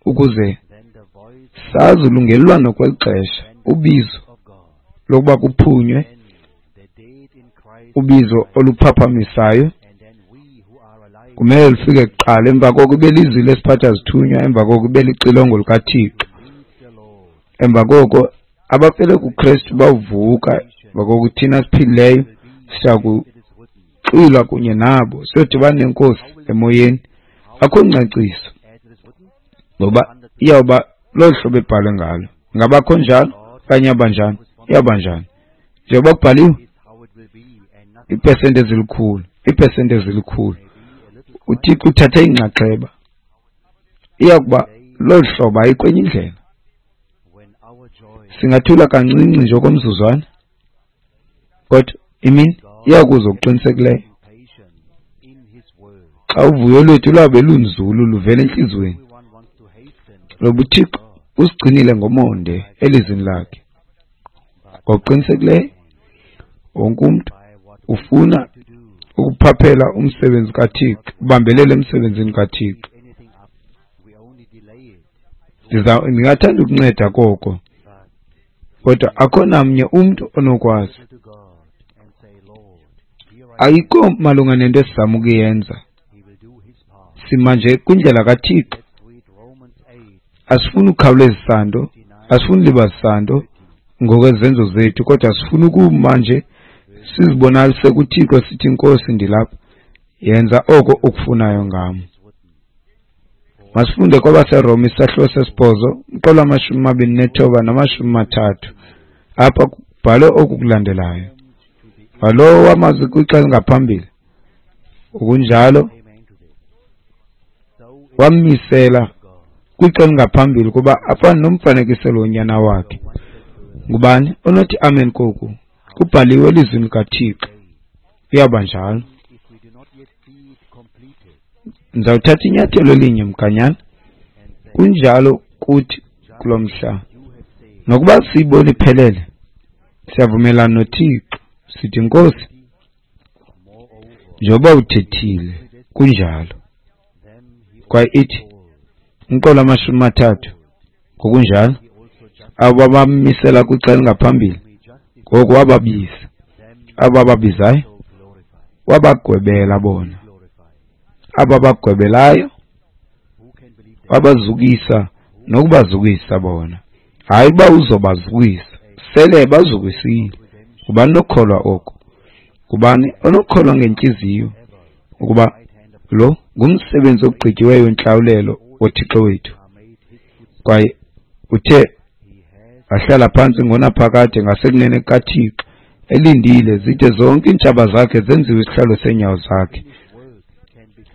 ukuze sazi ulungelelwano kweli xesha, ubizo lokuba kuphunywe, ubizo oluphaphamisayo kumele lufike kuqala, emva koko ibe lizwi lesiphatha zithunywa, emva koko ibe lixilongo likaThixo, emva koko abafele kuKristu bawuvuka, emva koko thina siphilileyo siya kuxwilwa kunye nabo siyodibana neNkosi emoyeni. Akho ngcaciso ngoba iyawuba lolu hlobo ebhalwe ngalo. Ingabakho njalo okanye iyawuba njani? Iyawuba njani? Njengoba kubhaliwe, iipesenti ezilikhulu, iipesenti ezilikhulu. UThixo uthathe inxaxheba. Iyakuba lolu hlobo, ayikho enye indlela. Singathula kancinci nje okomzuzwana, kodwa imini iyakuza okuqinisekileyo xa uvuyo lwethu lwabe lunzulu luvela entliziyweni. Loba uThixo usigcinile ngomonde elizwini lakhe. Ngokuqinisekileyo wonke umntu ufuna ukuphaphela umsebenzi kaThixo, ubambelele emsebenzini kaThixo. Ndingathanda ukunceda koko, kodwa akho namnye umntu onokwazi. Ayikho malunga nento esizama ukuyenza. Sima nje kwindlela kaThixo. Asifuni ukukhawulezisa nto, asifuni ulibazisa nto ngokwezenzo zethu, kodwa sifuna ukuma nje sizibonakalise kuThixo sithi, Nkosi, ndilapha, yenza oko ukufunayo ngam. Masifunde kwabaseRoma isahluko sesibhozo, umqolo wama-29 nama-30. Apha kubhalwe oku kulandelayo: walowo wamazi kwixa elingaphambili, ngokunjalo wammisela kwixa elingaphambili ukuba afane nomfanekiselo wonyana wakhe. Ngubani onothi amen koku? Kubhaliwe elizwini likaThixo. Iyawuba njalo. Ndizawuthatha inyathelo elinye mganyana. Kunjalo kuthi kulo mhla. Nokuba siyibona iphelele, siyavumelana noThixo. Sithi, Nkosi, njengoba uthethile, kunjalo. Kwaye ithi umqolo wama-30, ngokunjalo abo bamisela kwixa elingaphambili, ngoku wababiza. Abo bababizayo wabagwebela bona, abo babagwebelayo wabazukisa nokubazukisa bona. Hayi uba uzobazukisa, sele bazukisile. Ngubani onokukholwa oko? Ngubani onokukholwa ngentliziyo ukuba lo ngumsebenzi ogqityiweyo wentlawulelo woThixo wethu? Kwaye uthe wahlala phantsi ngonaphakade ngasekunene kukaThixo, elindile zide zonke iintshaba zakhe zenziwe isihlalo seenyawo zakhe.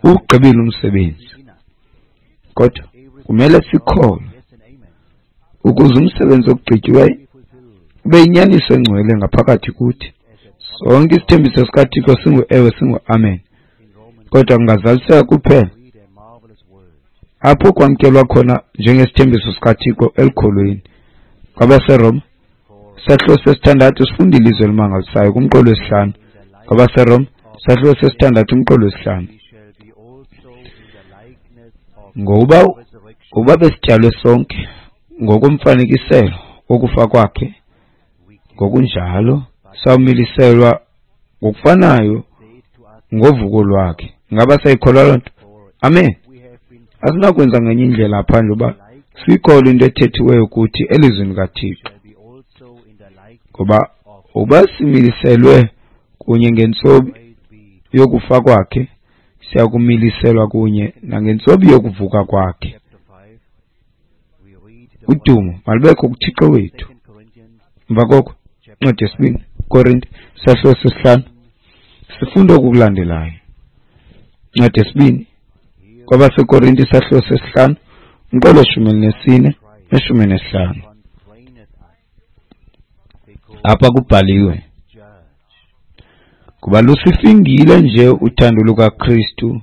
Uwugqibile umsebenzi, kodwa kumele sikholwe ukuze umsebenzi ogqityiweyo ube yinyaniso engcwele ngaphakathi kuthi. Sonke isithembiso sikaThixo singu-ewe, singu-amen, kodwa kungazaliseka kuphela apho kwamkelwa khona njengesithembiso sikaThixo elukholweni. KwabaseRoma isahluko sesithandathu sifunda ilizwi elimangalisayo kumqolo wesihlanu. KwabaseRoma isahluko sesithandathu umqolo wesihlanu. Ngokuba besityalwe sonke ngokomfanekiselo wokufa kwakhe, ngokunjalo sawumiliselwa ngokufanayo ngovuko lwakhe. Ngaba sayikholwa loo nto? Amen. Asinakwenza ngenye indlela phandle uba siyikholwe into ethethiweyo kuthi elizwini likaThixo. Ngoba uba similiselwe kunye ngentsobi yokufa kwakhe, siyakumiliselwa kunye nangentsobi yokuvuka kwakhe. Udumo malubekho kuThixo wethu. Emva koko, incwadi yesibini Korinte isahluko sesihlanu sifunda oku kulandelayo. Incwadi yesibini kwabaseKorinte isahluko sesihlanu umqolo 14 ne-15. Apha kubhaliwe: kuba lusifingile nje uthando lukaKristu,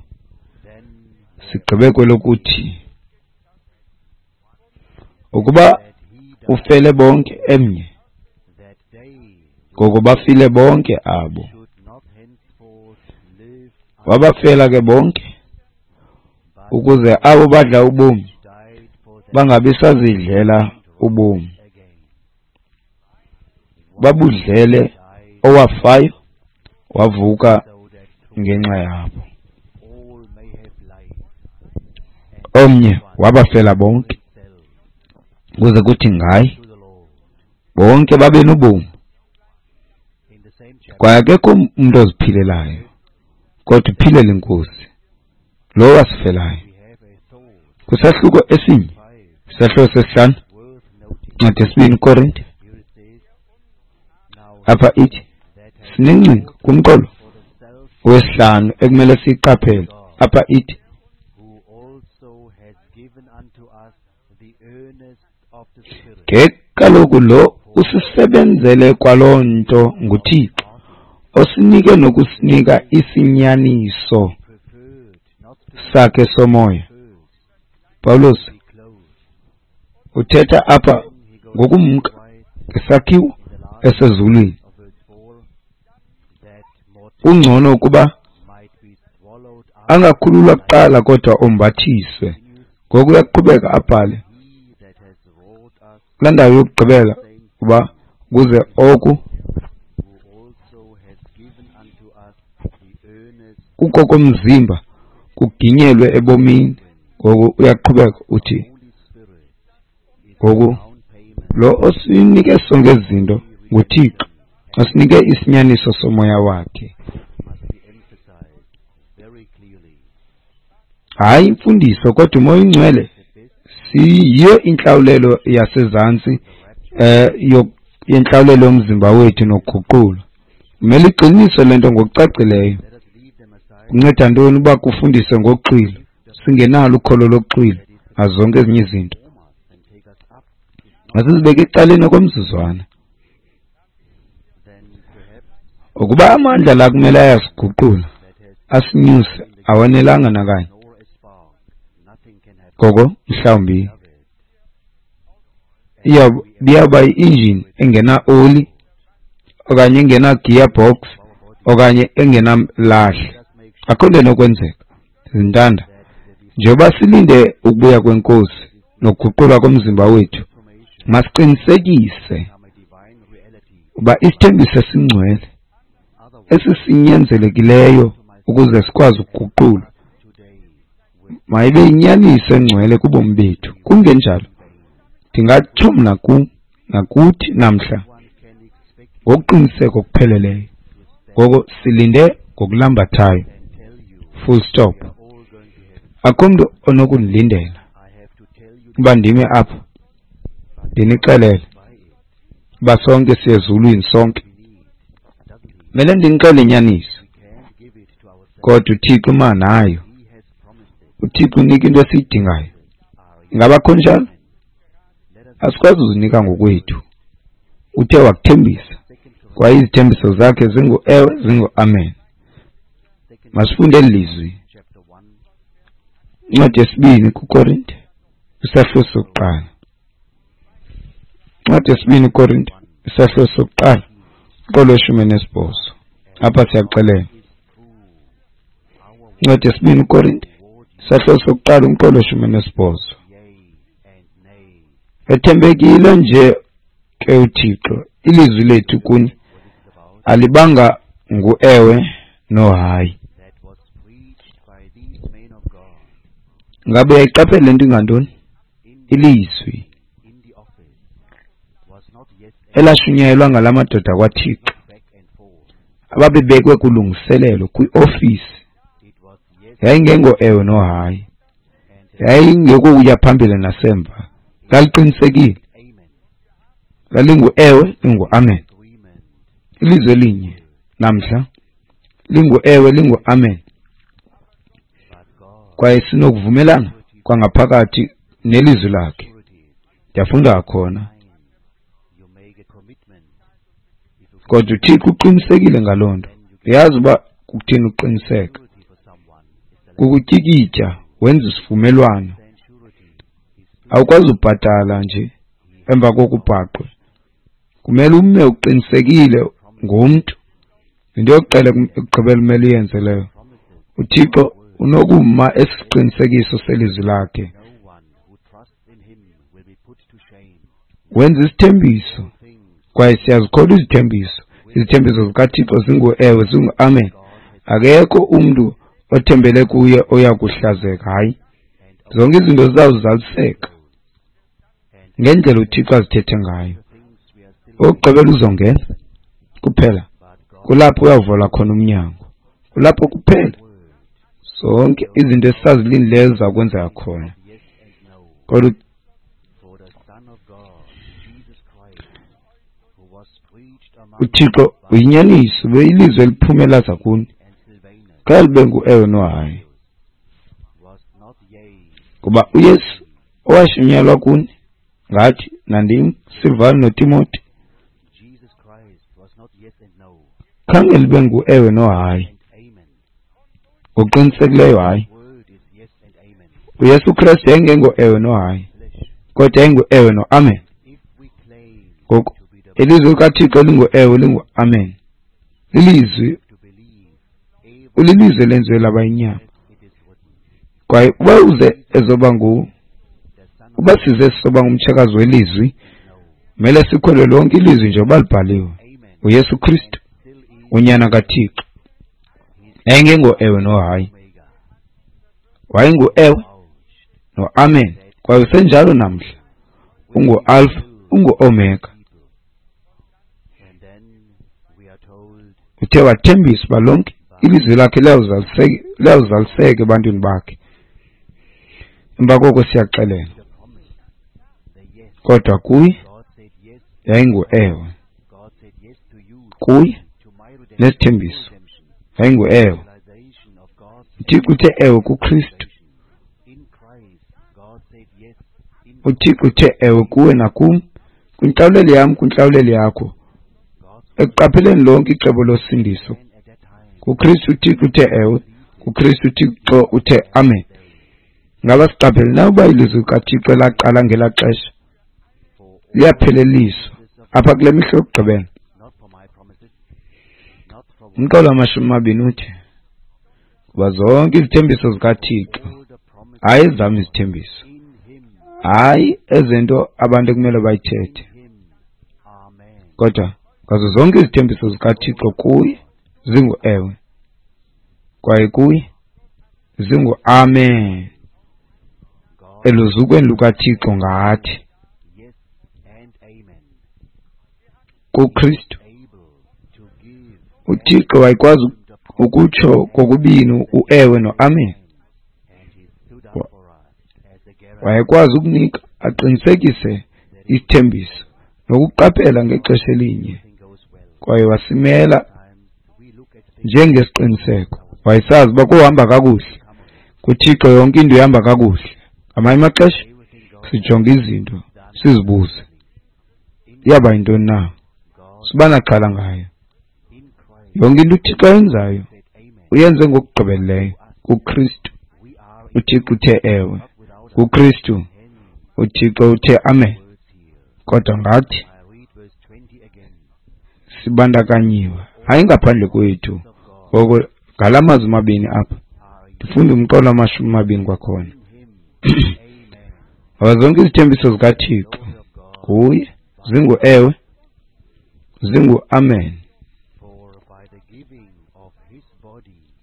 sigqibe kwelokuthi ukuba ufele bonke emnye, ngoko bafile bonke abo. Wabafela ke bonke, ukuze abo badla ubomi bangabi sazidlela ubomi, babudlele owafayo wavuka ngenxa yabo. Omnye wabafela bonke, ukuze kuthi ngaye bonke babe nobomi. Kwaye akekho umntu oziphilelayo, kodwa uphilela iNkosi, lo wasifelayo. Kwisahluko esinye, isahluko sesihlanu, incwadi yesibini Korinte, apha ithi sinengcinga kumqolo wesihlanu ekumele siyiqaphele. Apha ithi ke kaloku lo usisebenzele kwaloo nto nguThixo, osinike nokusinika isinyaniso sakhe somoya. Pawulos uthetha apha ngokumka ngesakhiwo esezulwini. Kungcono ukuba angakhululwa kuqala kodwa ombathiswe. Ngoku uyaqhubeka abhale kulaa ndawo yokugqibela uba ukuze oku kukokomzimba kuginyelwe ebomini. Ngoku uyaqhubeka uthi ngoku lo osinike sonke ezi zinto nguThixo, osinike isinyaniso somoya wakhe. Hayi imfundiso, kodwa uMoya oyiNgcwele siyiyo intlawulelo yasezantsi yentlawulelo yomzimba wethu nokuguqulwa. Kumele iqiniswe le nto ngokucacileyo. Kunceda ntoni uba kufundiswe ngokuxwilo singenalo ukholo lokuxwilo nazo zonke ezinye izinto? Masizibeke ecaleni okomzuzwana. Ukuba amandla la kumele ayasiguqula asinyuse awanelanga nakanye, ngoko mhlawumbi iyawuba yi-injini engena-oli okanye engena-gearbox okanye engenalahle. Akho nto enokwenzeka, zintanda. Njengoba silinde ukubuya kweNkosi nokuguqulwa komzimba wethu, masiqinisekise uba isithembiso esingcwele esisinyanzelekileyo ukuze sikwazi ukuguqulwa mayibe yinyaniso engcwele kubomi bethu. Kungenjalo ndingatsho mna nakuthi namhla ngokuqiniseka okupheleleyo. Ngoko silinde ngokulambathayo, full stop. Akho mntu onokundilindela uba ndime apha ndinixelele uba sonke siye ezulwini sonke. Mele ndinixele inyaniso, kodwa uThixo uma nayo. uThixo unika into esiyidingayo. Ingaba kho njalo? Asikwazi uzinika ngokwethu. Uthe wakuthembisa, kwaye izithembiso zakhe zingu-ewe, zingu-amen. Masifunde eli lizwi. Incwadi yesibini kuKorinte, isahluko sokuqala. Incwadi yesibini kuKorinte, isahluko sokuqala, umqolo weshumi nesibhozo. Apha siyaxelela. Incwadi yesibini kuKorinte, isahluko sokuqala, umqolo weshumi nesibhozo. Ethembekile nje ke uThixo, ilizwi lethu kuni alibanga ngu-ewe nohayi. Ngabe uyayiqaphela le nto ingantoni? Ilizwi elashunyayelwa ngala madoda kwaThixo ababebekwe kulungiselelo kwiofisi yayingengo ewe nohayi, yayingekokuya phambili nasemva. Laliqinisekile, lalingu ewe lingu amen. Ilizwi elinye namhla lingu ewe lingu amen, kwaye sinokuvumelana kwangaphakathi nelizwi lakhe. Ndiyafunda khona, kodwa uThixo uqinisekile ngaloo nto. Uyazi uba kukuthini uqiniseka? Kukutyikitya wenza isivumelwano. Awukwazi ubhatala nje emva kokubhaqwe. Kumele ume uqinisekile ngomntu. Yinto yokuqala ekugqibela umele uyenze leyo. UThixo unokuma esiqinisekiso selizwi lakhe. Wenza isithembiso kwaye siyazikholwa izithembiso. Izithembiso zikaThixo zingu-ewe, zingu-amen. Akekho umntu othembele kuye oya kuhlazeka. Hayi, zonke izinto zizawuzaliseka ngendlela uThixo azithethe ngayo. Okugqibela uzongena kuphela kulapho uyawuvala khona umnyango, kulapho kuphela zonke izinto esisazilindileyo ziza kwenzeka khona. Kodwa uThixo uyinyaniso, ilizwi eliphume laza kuni kha libe ngu-ewe nohayi. Kuba uYesu owashunyelwa kuni ngathi nandim Silvano noTimoti khange libe ngu-ewe nohayi, ngokuqinisekileyo hayi. UYesu Kristu yayingengo-ewe nohayi, kodwa yayingu-ewe no-amen. Ngoku ilizwi likaThixo lingu-ewe lingu-amen. Lilizwi, ulilizwi elenziwe laba yinyama. Kwaye uba uze ezoba ngu, uba size sizoba ngumtshakazi welizwi, kumele sikholwe lonke ilizwi njengoba libhaliwe. UYesu Kristu unyana kaThixo yayingengo-ewe nohayi, wayengu-ewe no-amen. Kwaye usenjalo namhla, ungu-Alpha, ungu-Omega. Uthe wathembisa uba lonke ilizwi lakhe liyawuzaliseka ebantwini bakhe. Emva koko siyaxelela, kodwa kuye yayingu-ewe, kuye nesithembiso yayingu-ewe. UThixo uthe ewe kuKristu. UThixo uthe ewe kuwe nakum, kwintlawulelo yam, kwintlawulelo yakho, ekuqapheleni lonke icebo losindiso. KuKristu uThixo uthe ewe, kuKristu uThixo uthe amen. Ngaba siqaphele na uba ilizwi likaThixo laqala ngelaa xesha liyapheleliswa apha kule mihla yokugqibela? Umqolo wamashumi amabini uthi, kuba zonke izithembiso zikaThixo, hayi ezam izithembiso, hayi ezento abantu ekumele bayithethe, kodwa ngazo zonke izithembiso zikaThixo kuye zingu-ewe, kwaye kuye zingu-amen, eluzukweni lukaThixo ngathi kuKristu. UThixo wayekwazi ukutsho kokubini uewe noamen. Wayekwazi ukunika aqinisekise isithembiso nokuqaphela ngexesha elinye, kwaye wasimela njengesiqiniseko. Wayesazi uba kuhamba kakuhle kuThixo, yonke into ihamba kakuhle. Ngamanye amaxesha sijonga izinto sizibuze iyaba yintoni na, siba naxhala ngayo. Yonke into uThixo ayenzayo uyenze ngokugqibeleleyo kuKristu. uThixo uthe ewe, kuKristu uThixo uthe amen. Kodwa ngathi sibandakanyiwe, hayi ngaphandle kwethu. Ngoko ngala mazwi mabini apha, ndifunda umqolo wamashumi amabini kwakhona. Ngoba zonke izithembiso zikaThixo kuye zingu-ewe, zingu-amen,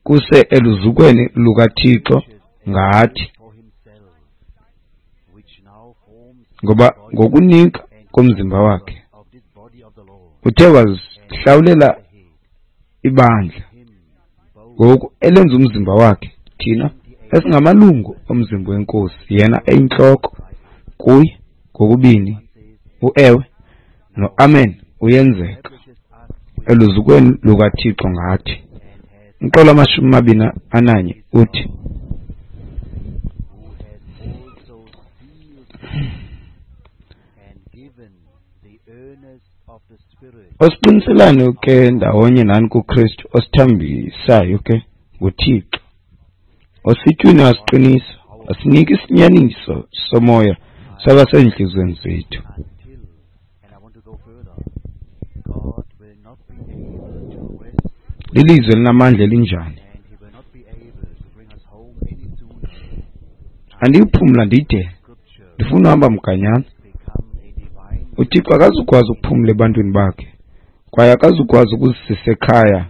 kuse eluzukweni lukaThixo ngathi. Ngoba ngokunika komzimba wakhe uthe wazihlawulela ibandla, ngoku elenza umzimba wakhe, thina esingamalungu omzimba wenkosi, yena eyintloko. Kuye ngokubini uewe noamen uyenzeka eluzukweni lukaThixo ngathi. Umqolo wamashumi amabini ananye uthi, osiqiniselane ke ndawonye nani kuKristu, osithambisayo ke nguThixo, ositywini wasiqinisa, wasinika isinyaniso somoya saba seentliziyweni zethu. Lilizwi elinamandla elinjani! Andiyiphumla ndide ndifuna uhamba mganyana. UThixo akazukwazi ukuphumla ebantwini bakhe, kwaye akazukwazi ukuzisisa ekhaya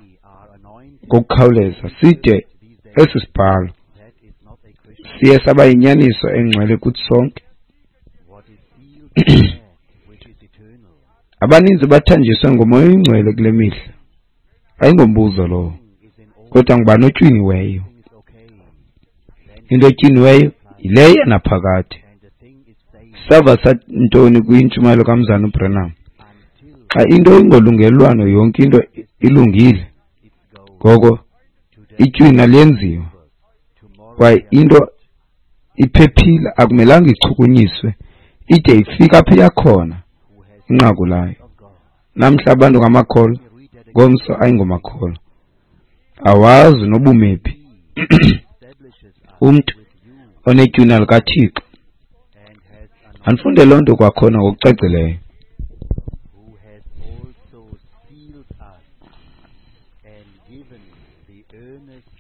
ngokukhawuleza side esi sibhalo siye saba yinyaniso engcwele kuthi sonke. Abaninzi bathanjiswe ngoMoya oyiNgcwele kule mihla. Ayingombuzo lowo, kodwa ngubani otywiniweyo? Into etyiniweyo yileyo yanaphakade. Sava santoni kwintshumayelo kaMzana uBranham? Xa into ingolungelelwano yonke into ilungile, ngoko itywina liyenziwa kwaye into iphephile, akumelanga ichukunyiswe ide ifike apho iyakhona inqaku layo. Namhla abantu ngamakholwa, ngomso ayingomakholwa. Awazi nobumephi. Umntu onetywina likaThixo. Andifunde loo nto kwakhona ngokucacileyo.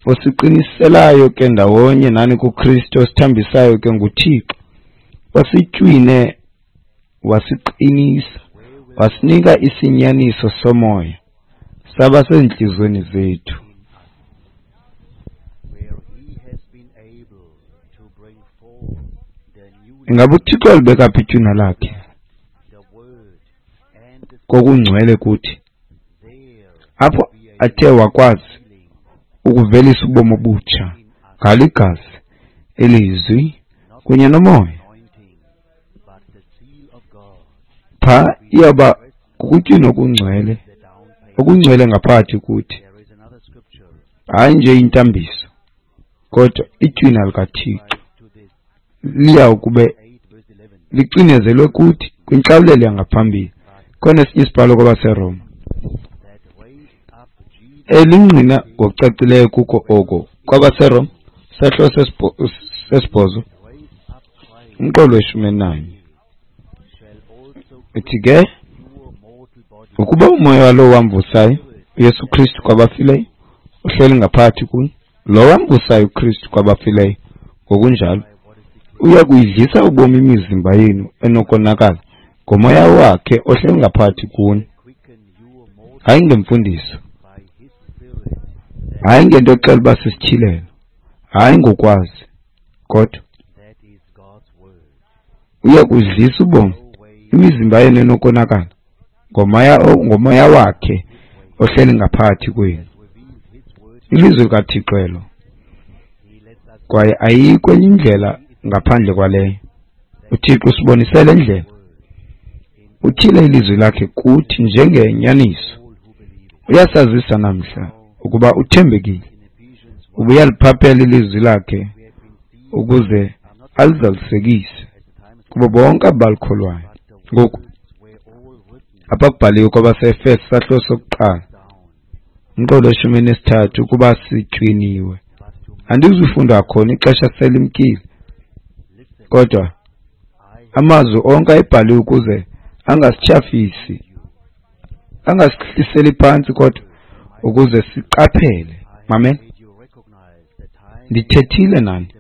Osiqiniselayo ke ndawonye nani kuKristu, osithambisayo ke nguThixo, ositywine wasiqinisa, wasinika isinyaniso somoya, saba seentliziyweni zethu. Ingaba uThixo walibeka phi itywina lakhe kokungcwele kuthi, apho athe wakwazi ukuvelisa ubomi obutsha ngalo igazi, ilizwi kunye nomoya? Pha iyawuba kukutywina okungcwele, okungcwele ngaphakathi kuthi, hayi nje intambiso, kodwa itywina likaThixo liyawukube licinezelwe kuthi kwintlawulelo yangaphambili. Khona esinye isibhalo kwabaseRoma elingqina ngokucacileyo kuko oko. KwabaseRoma sahluko sesibhozo umqolo weshumi elinanye uthi ke, ukuba umoya walowo wamvusayo uYesu Kristu kwabafileyo uhleli ngaphakathi kuni, lo wamvusayo uKristu kwabafileyo ngokunjalo uya kuyidlisa ubomi imizimba yenu enokonakala ngomoya wakhe ohleli ngaphakathi kuni. Hayi ngemfundiso, hayi ngento exela uba sisityhilelo, hayi ngokwazi, kodwa uya kudlisa ubomi imizimba yenu enokonakala ngomoya wakhe ohleli ngaphakathi kwenu. Ilizwi likaThixo elo, kwaye ayikho enye indlela ngaphandle kwaleyo. UThixo usibonisele indlela, utyhile ilizwi lakhe kuthi njengenyaniso. Uyasazisa namhla ukuba uthembekile, ubuyaliphaphela ilizwi lakhe ukuze alizalisekise kubo bonke abalikholwayo. Ngoku apha kubhaliwe kwabaseEfeso sahluko sokuqala umqolo weshumi nesithathu ukuba sitywiniwe. Andizufunda khona, ixesha selimkile, kodwa amazwi onke ayebhaliwe ukuze angasityhafisi, angasihliseli phantsi, kodwa ukuze siqaphele. Mamela, ndithethile nani,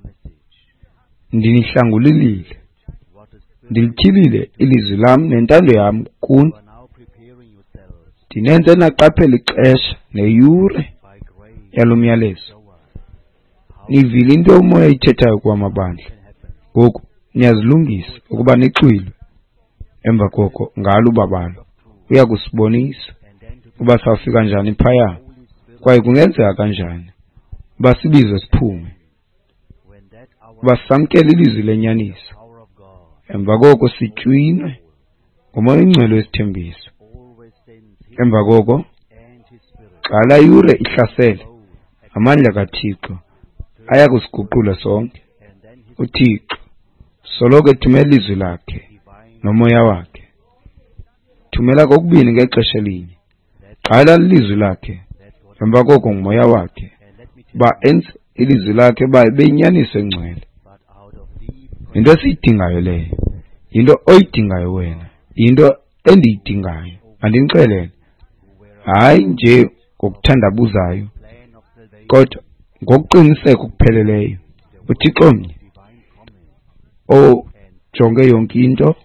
ndinihlangulile, ndilityhilile ilizwi lam nentando yam kuni, ndinenze naqaphela ixesha neyure yalo myalezo. Nivile into umoya ayithethayo kwamabandla. Ngoku niyazilungisa ukuba nixwilwe. Emva koko ngalo ubabalo uya kusibonisa uba sawufika njani phaya, kwaye kungenzeka kanjani uba sibizwe siphume, uba samkele ilizwi lenyaniso. Emva koko sitywinwe ngoMoya oyiNgcwele wesithembiso. Emva koko xa laa yure ihlasele, amandla kaThixo aya kusiguqula sonke. UThixo soloko ethumela ilizwi lakhe nomoya wakhe, thumela kokubini ngexesha elinye. Qala ilizwi lakhe, emva koko ngumoya wakhe, uba enze ilizwi lakhe uba ibe yinyaniso engcwele. Yinto esiyidingayo leyo, yinto oyidingayo wena, yinto endiyidingayo. Mandinixelele, hayi nje ngokuthandabuzayo, kodwa ngokuqiniseka okupheleleyo. UThixo mnye ojonge yonke into,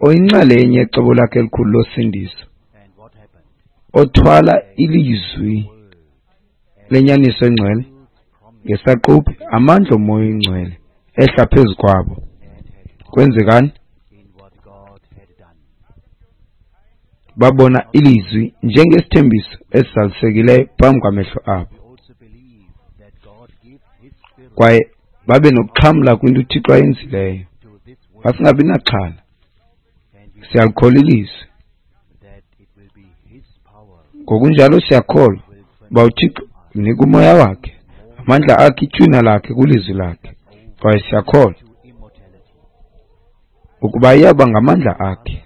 oyinxalenye yecebo lakhe elikhulu losindiso, othwala ilizwi lenyaniso engcwele ngesaquphe, amandla oMoya oyiNgcwele ehla phezu kwabo. Kwenzekani? Babona ilizwi njengesithembiso esizalisekileyo phambi kwamehlo abo, kwaye babe nokuxhamla kwinto uThixo ayenzileyo. Masingabi naxhala, siyalikholwa ilizwi. Ngokunjalo siyakholwa uba uThixo unika uMoya wakhe, amandla akhe, itywina lakhe kwilizwi lakhe, kwaye siyakholwa ukuba iyawuba ngamandla akhe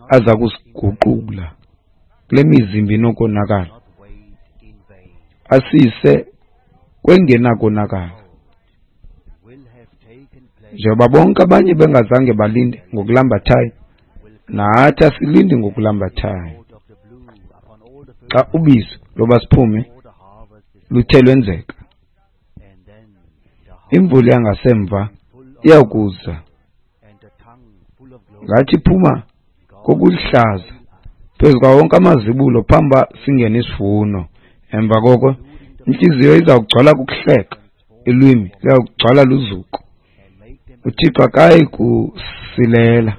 aza kusiguqula kule mizimba inokonakala, asise kwengenakonakala. Njengoba bonke abanye bengazange balinde ngokulambathayo, nathi asilindi ngokulambathayo. Xa ubizo loba siphume luthe lwenzeka, imvula yangasemva iyakuza ngathi iphuma kokulihlaza phezu kwawo wonke amazibulo phambi uba singene isivuno. Emva koko intliziyo iza kugcwala kukuhleka, ilwimi liyakugcwala luzuko. UThixo akayi kusilela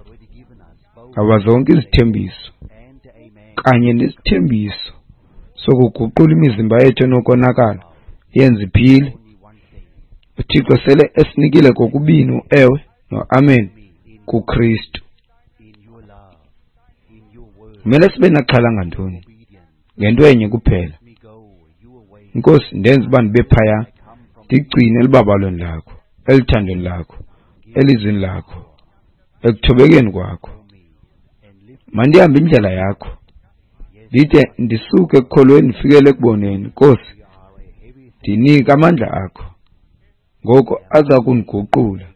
ngaba zonke izithembiso kanye nesithembiso sokuguqula imizimba yethu enokonakala yenze iphile. UThixo sele esinikile kokubini uewe noamen kuKristu. Kumele sibe naxhala ngantoni? Ngento enye kuphela. Nkosi, ndenze uba ndibe phaya, ndigcine elubabalweni lakho, eluthandweni lakho, elizwini lakho, ekuthobekeni kwakho. Mandihambe indlela yakho, ndide ndisuke ekukholweni ndifikele ekuboneni. Nkosi, ndinike amandla akho, ngoko aza kundiguqula,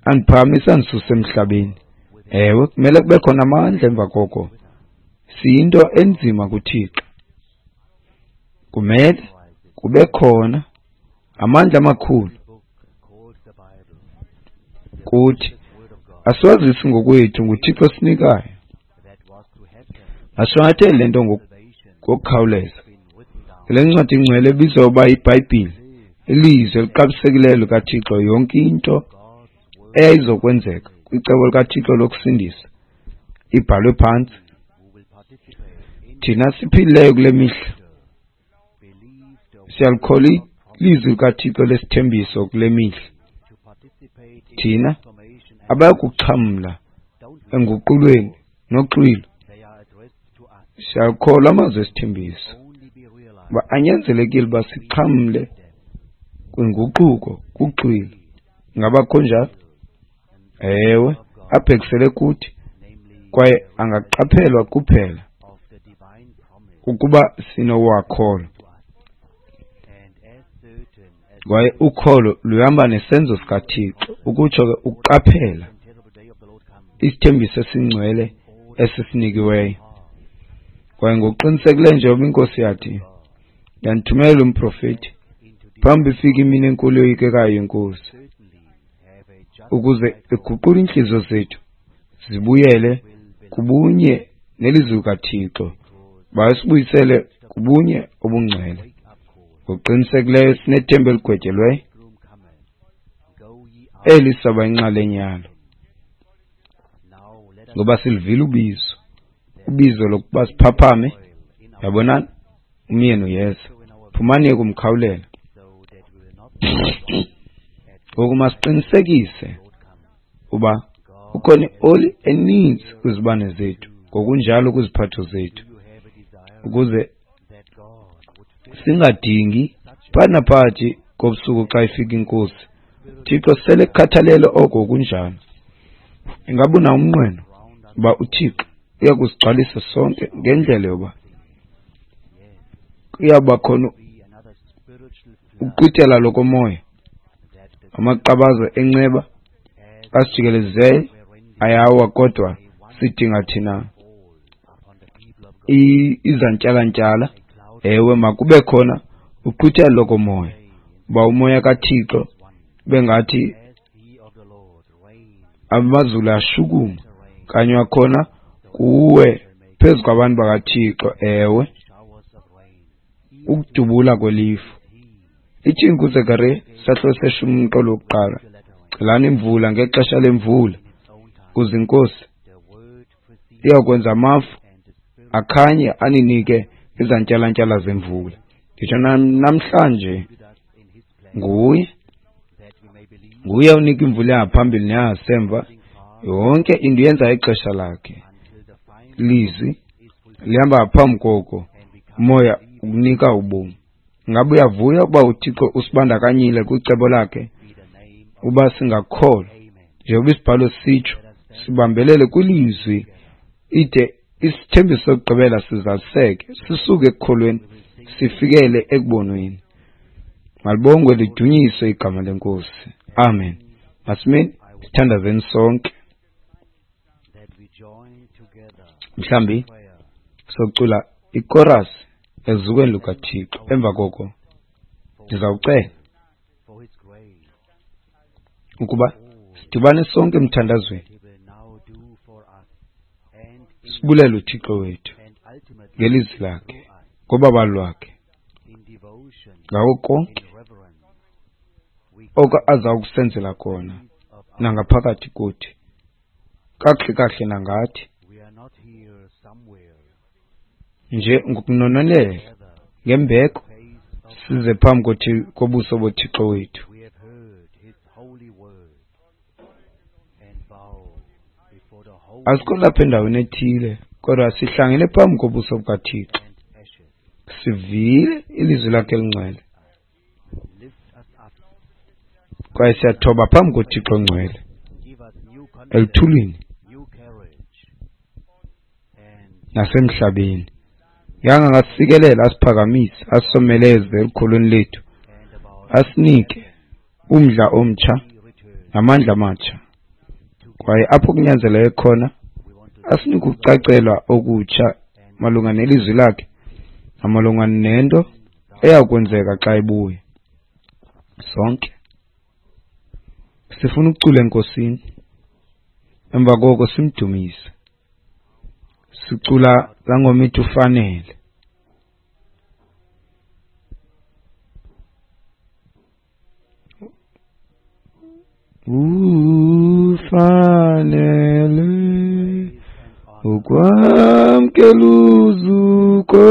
andiphakamise, andisuse emhlabeni. Ewe, kumele kube khona amandla emva koko. Siyinto enzima kuThixo. Kumele kube khona amandla amakhulu kuthi. Asiwazisi ngokwethu, nguThixo osinikayo. Masishwankathele le nto ngokukhawuleza. Le ncwadi ingcwele ebizwa uba yiBhayibhile, ilizwi eliqabisekileyo likaThixo, yonke into eyayizokwenzeka kwicebo likaThixo lokusindisa ibhalwe phantsi. Thina siphilileyo kule mihla siyalikholwa ilizwi likaThixo lesithembiso kule mihla. Thina abayakuxhamla enguqulweni noxwilo siyakholwa amazwi esithembiso uba anyanzelekile uba sixhamle kwinguquko kuxwilo. Ngaba kho njalo? Ewe, abhekisele kuthi kwaye angaqaphelwa kuphela ukuba sinowakholwa. Kwaye ukholo luhamba nesenzo sikaThixo, ukutsho ke ukuqaphela isithembiso esingcwele esisinikiweyo. Kwaye ngokuqinisekileyo njengoba iNkosi yathi, ndandithumela umprofeti phambi ifike imini enkulu yoyikekayo yeNkosi, ukuze iguqule iintliziyo zethu zibuyele kubunye nelizwi likaThixo, basibuyisele kubunye obungcwele. Ngokuqinisekileyo sinethemba eligwetyelweyo eli saba inxalenye yalo, ngoba silivile ubizo lokuba siphaphame. Yabonani, umyeni uyeza, phumani kumkhawulela. Ngoku masiqinisekise uba ukhona ioli eninzi kwizibane zethu, ngokunjalo kwiziphatho zethu, ukuze singadingi phakathi naphakathi kobusuku xa ifika iNkosi. Thixo sele kukhathalele oko kunjalo. Ingaba unawo umnqweno uba uThixo uya kusigcwalisa sonke ngendlela yoba kuyawuba khona uqwithela lokomoya, amaqabaza enceba asijikelezileyo ayawa, kodwa sidinga thina izantyalantyala. Ewe, makube khona uqwithelo lokomoya, uba umoya kaThixo Bengathi amazulu ashukuma kanye wakhona kuwe phezu kwabantu bakaThixo, ewe, ukudubula kwelifu. Ithini kuZekariya isahluko seshumi umqolo wokuqala? Celani imvula ngexesha lemvula, kuze iNkosi iyakwenza amafu akhanye aninike izantyalantyala zemvula. Nditsho namhlanje nguye nguye unika imvula yangaphambili neyangasemva. Yonke into yenza ixesha lakhe. Lizwi lihamba phambi koko, umoya ukunika ubomi. Ngabe uyavuya ukuba uThixo usibandakanyile kwicebo lakhe uba singakholwa njengoba isibhalo sitsho, sibambelele kwilizwi ide isithembiso sokugqibela sizaliseke, sisuke ekukholweni sifikele ekubonweni. Malibongwe lidunyiswe igama leNkosi. Amen. Masimeni sithandazeni sonke. Mhlambi socula ichorus ezukweni lukaThixo. Emva koko ndizawucela ukuba sidibane sonke emthandazweni, sibulele uThixo wethu ngelizwi lakhe, ngobabalo lwakhe, ngako konke oko aza kusenzela kona nangaphakathi kuthi, kakuhle kakuhle nangathi nje ngokunonolela ngembeko size phambi kobuso boThixo wethu. Asikho lapha endaweni ethile, kodwa sihlangene phambi kobuso bukaThixo. Sivile ilizwi lakhe elingcwele kwaye siyathoba phambi koThixo ongcwele eluthulini nasemhlabeni. Yanga angasikelela, asiphakamise, asomeleze elukholweni lethu, asinike umdla omtsha namandla amatsha, kwaye apho kunyanzeleke khona asinike ukucacelwa okutsha malunga nelizwi lakhe namalunga nento eyakwenzeka xa ebuya. Sonke sifuna ukucula eNkosini, emva koko simdumise. Sicula laa ngoma ithi ufanele. Ufanele ukwamkela uzuko,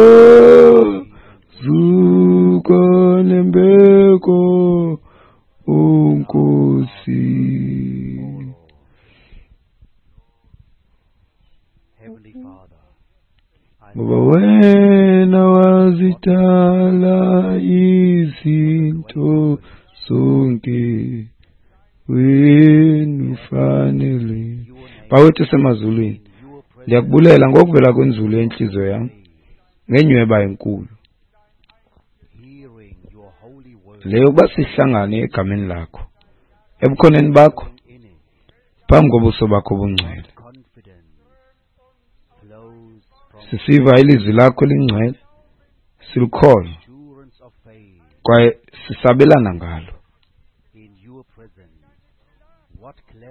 zuko nembeko, uNkosi. Ngoba wena wazidala izinto zonke, wena ufanele. Bawethu semazulwini, ndiyakubulela ngokuvela kwenzulu yenhliziyo yam ngenyweba enkulu leyo yokuba sihlangane egameni lakho, ebukhoneni bakho, phambi kobuso bakho obungcwele. Sisiva ilizwi lakho elingcwele, silikholwa kwaye sisabelana ngalo.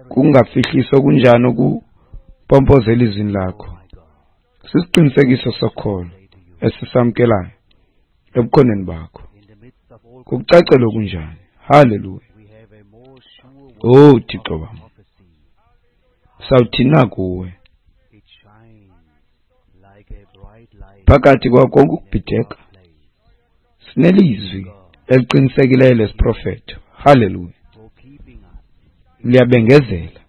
Kungafihliswa kunjani ukumpompoza elizwini lakho? Sisiqinisekiso sokholo esisamkelayo ebukhoneni bakho. Kukucacela okunjani? Haleluya. Oh Thixo wam, sawuthini na kuwe? Phakathi kwako konke ukubhideka sinelizwi eliqinisekileyo lesiprofeto. Haleluya. Liyabengezela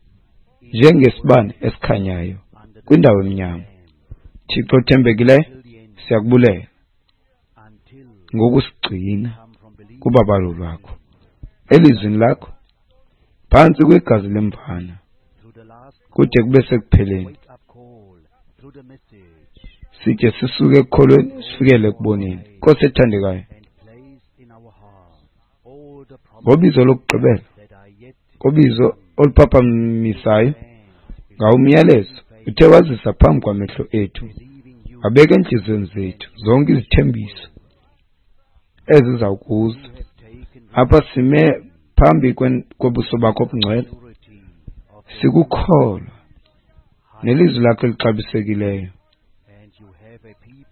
njengesibane esikhanyayo kwindawo emnyama. Thixo othembekileyo, siyakubulela ngokusigcina kubabalo lwakho elizwini lakho phantsi kwegazi lemvana kude kube sekupheleni, side sisuke ekukholweni sifikele ekuboneni. Nkosi ethandekayo, ngobizo lokugqibela, ngobizo oluphaphamisayo, ngawumyalezo uthe wazisa phambi kwamehlo ethu, wabeka entliziyweni zethu zonke izithembiso ezizawukuza. Apha sime Phambi kobuso bakho obungcwele, sikukholwa nelizwi lakho elixabisekileyo.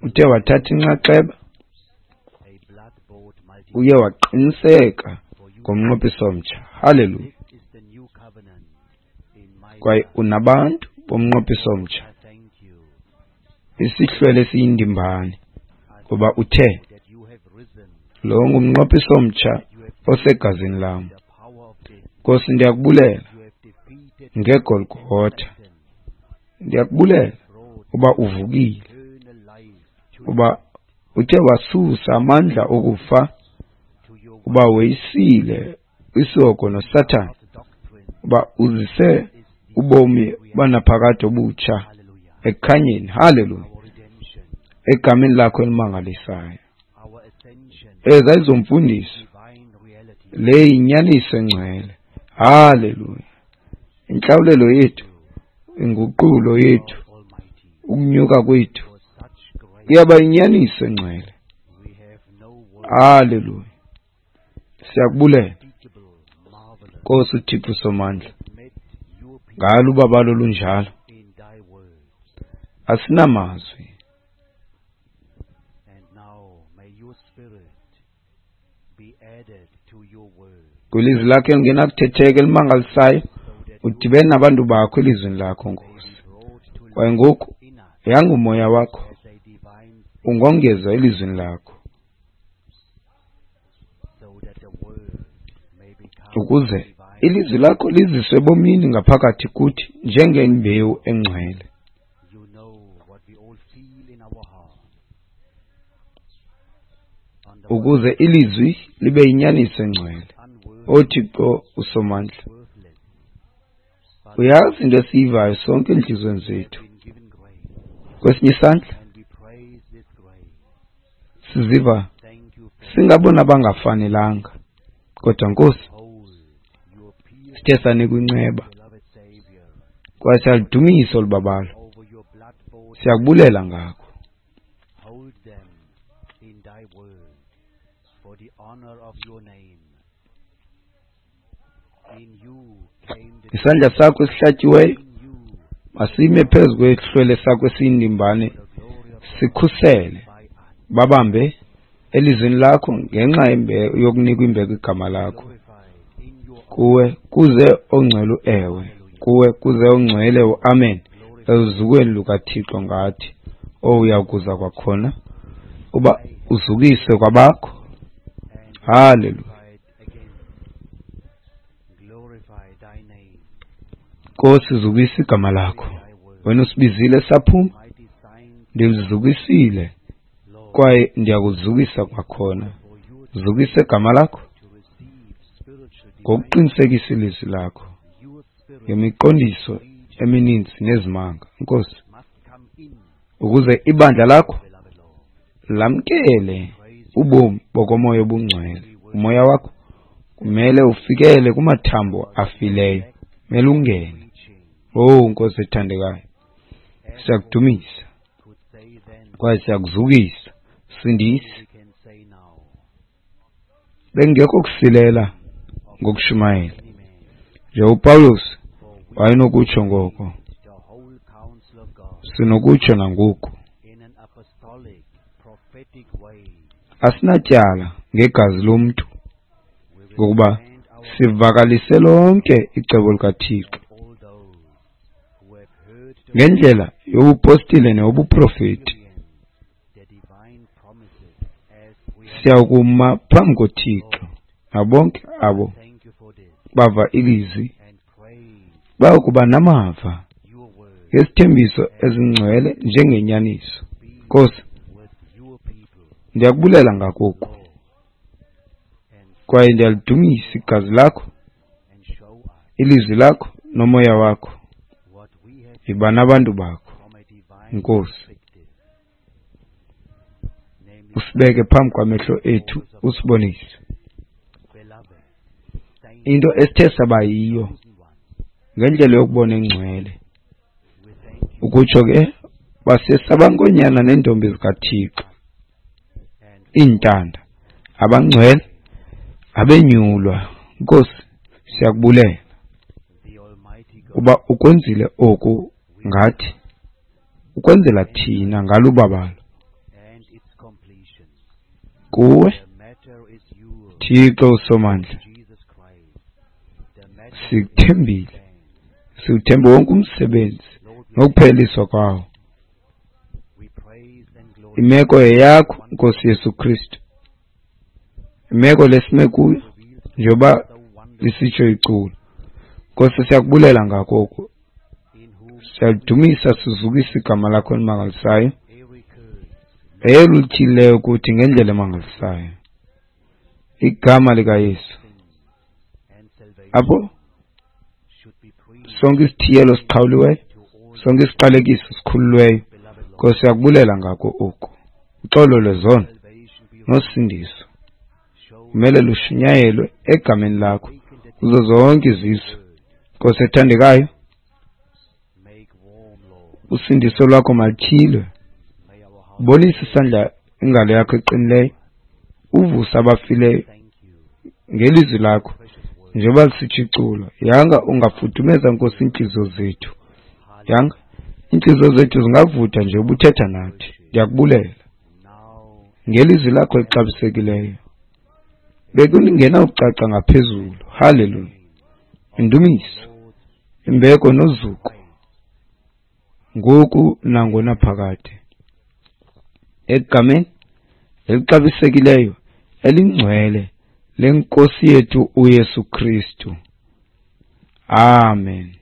Uthe wathatha inxaxheba, uye waqiniseka ngomnqophiso omtsha. Haleluya! Kwaye unabantu bomnqophiso omtsha, isihlwele esiyindimbane, ngoba uthe lo ngumnqophiso omtsha osegazini lam. Nkosi, ndiyakubulela ngeGolgotha. Ndiyakubulela uba uvukile, uba uthe wasusa amandla okufa, uba weyisile isihogo noSathana, uba uzise ubomi banaphakade obutsha ekukhanyeni. Haleluya! Egameni lakho elimangalisayo. Ezi ayizomfundiso, le yinyaniso engcwele. Haleluya! Intlawulelo yethu, inguqulo yethu, ukunyuka kwethu kuyaba yinyaniso engcwele. Haleluya! Siyakubulela Nkosi uThixo Somandla ngalo ubabalo lunjalo. Asinamazwi. Kwilizwi lakho elingenakuthetheka elimangalisayo, udibene nabantu bakho elizwini lakho, Nkosi. Kwaye ngoku yangumoya wakho ungongezwa elizwini lakho, ukuze ilizwi lakho liziswe ebomini ngaphakathi kuthi njengembewu engcwele. Ukuze ilizwi libe yinyaniso engcwele. OThixo uSomandla, uyazi into esiyivayo sonke entliziyweni zethu. Kwesinye isandla siziva singabona bangafanelanga, kodwa Nkosi sithe sanikwa inceba kwaye siyaludumisa olu babalo, siyakubulela ngako. Isandla sakho esihlatyiweyo masime phezu kwehlwele sakho esiyindimbane, sikhusele, babambe elizwini lakho ngenxa yokunikwa imbeko igama lakho. Kuwe kuze ongcwele uewe, kuwe kuze ongcwele uamen, eluzukweni lukaThixo ngathi. Uyakuza kwakhona uba uzukiswe kwabakho. Haleluya. Nkosi, zukisa igama lakho. Wena usibizile saphuma, ndilizukisile kwaye ndiyakuzukisa kwakhona. Zukisa igama lakho ngokuqinisekisa ilizwi lakho ngemiqondiso emininzi nezimanga, Nkosi, ukuze ibandla lakho lamkele ubomi bokomoya obungcwele. Umoya wakho kumele ufikele kumathambo afileyo, kumele ungene. Oh Nkosi ethandekayo, siyakudumisa kwaye siyakuzukisa. Sindisi. Bengekho kusilela ngokushumayela nje uPawulos wayenokutsho ngoko, sinokutsho nangoku. Asinatyala ngegazi lomntu, ngokuba sivakalise lonke icebo likaThixo ngendlela yobupostile neyobuprofeti. Siyakuma phambi koThixo nabonke abo bava ilizwi bayokuba namava ngesithembiso ezingcwele njengenyaniso. Nkosi, ndiyakubulela ngakoku kwaye ndiyalidumisa igazi lakho, ilizwi lakho nomoya wakho. Yiba nabantu bakho, Nkosi, usibeke phambi kwamehlo ethu, usibonise into esithe saba yiyo ngendlela yokubona engcwele. Ukutsho ke basesabankonyana neentombi zikaThixo, iintanda, abangcwele, abenyulwa. Nkosi, siyakubulela uba ukwenzile oku ngathi, ukwenzela thina ngalubabalo. Kuwe, Thixo uSomandla, sikuthembile, siwuthembe wonke umsebenzi nokupheliswa kwawo. Imeko yeyakho, Nkosi Yesu Kristu. Imeko lesime kuyo, njengoba lisitsho iculo. Nkosi, siyakubulela ngako oku. Siyalidumisa, sizukisa igama lakho elimangalisayo, eluthileyo kuthi ngendlela emangalisayo. Igama likaYesu, apho sonke isithiyelo siqhawuliweyo, sonke isiqalekiso sikhululweyo. Nkosi, siyakubulela ngako oku. Uxolo lwezono nosindiso kumele lushunyayelwe egameni lakho kuzo zonke izizwe. Nkosi ethandekayo, usindiso lwakho malutyhilwe. Bonisa isandla, ingalo yakho eqinileyo, uvuse abafileyo ngelizwi lakho, njengoba lisitsho iculo. Yanga ungafudumeza, Nkosi, iintliziyo zethu. Yanga iintliziyo zethu zingavutha nje ubuthetha nathi. Ndiyakubulela ngelizwi lakho elixabisekileyo. Bekungenawucaca ngaphezulu. Haleluya. Indumiso, imbeko nozuko ngoku nangonaphakade, egameni elixabisekileyo elingcwele lenkosi yethu uYesu Kristu. Amen.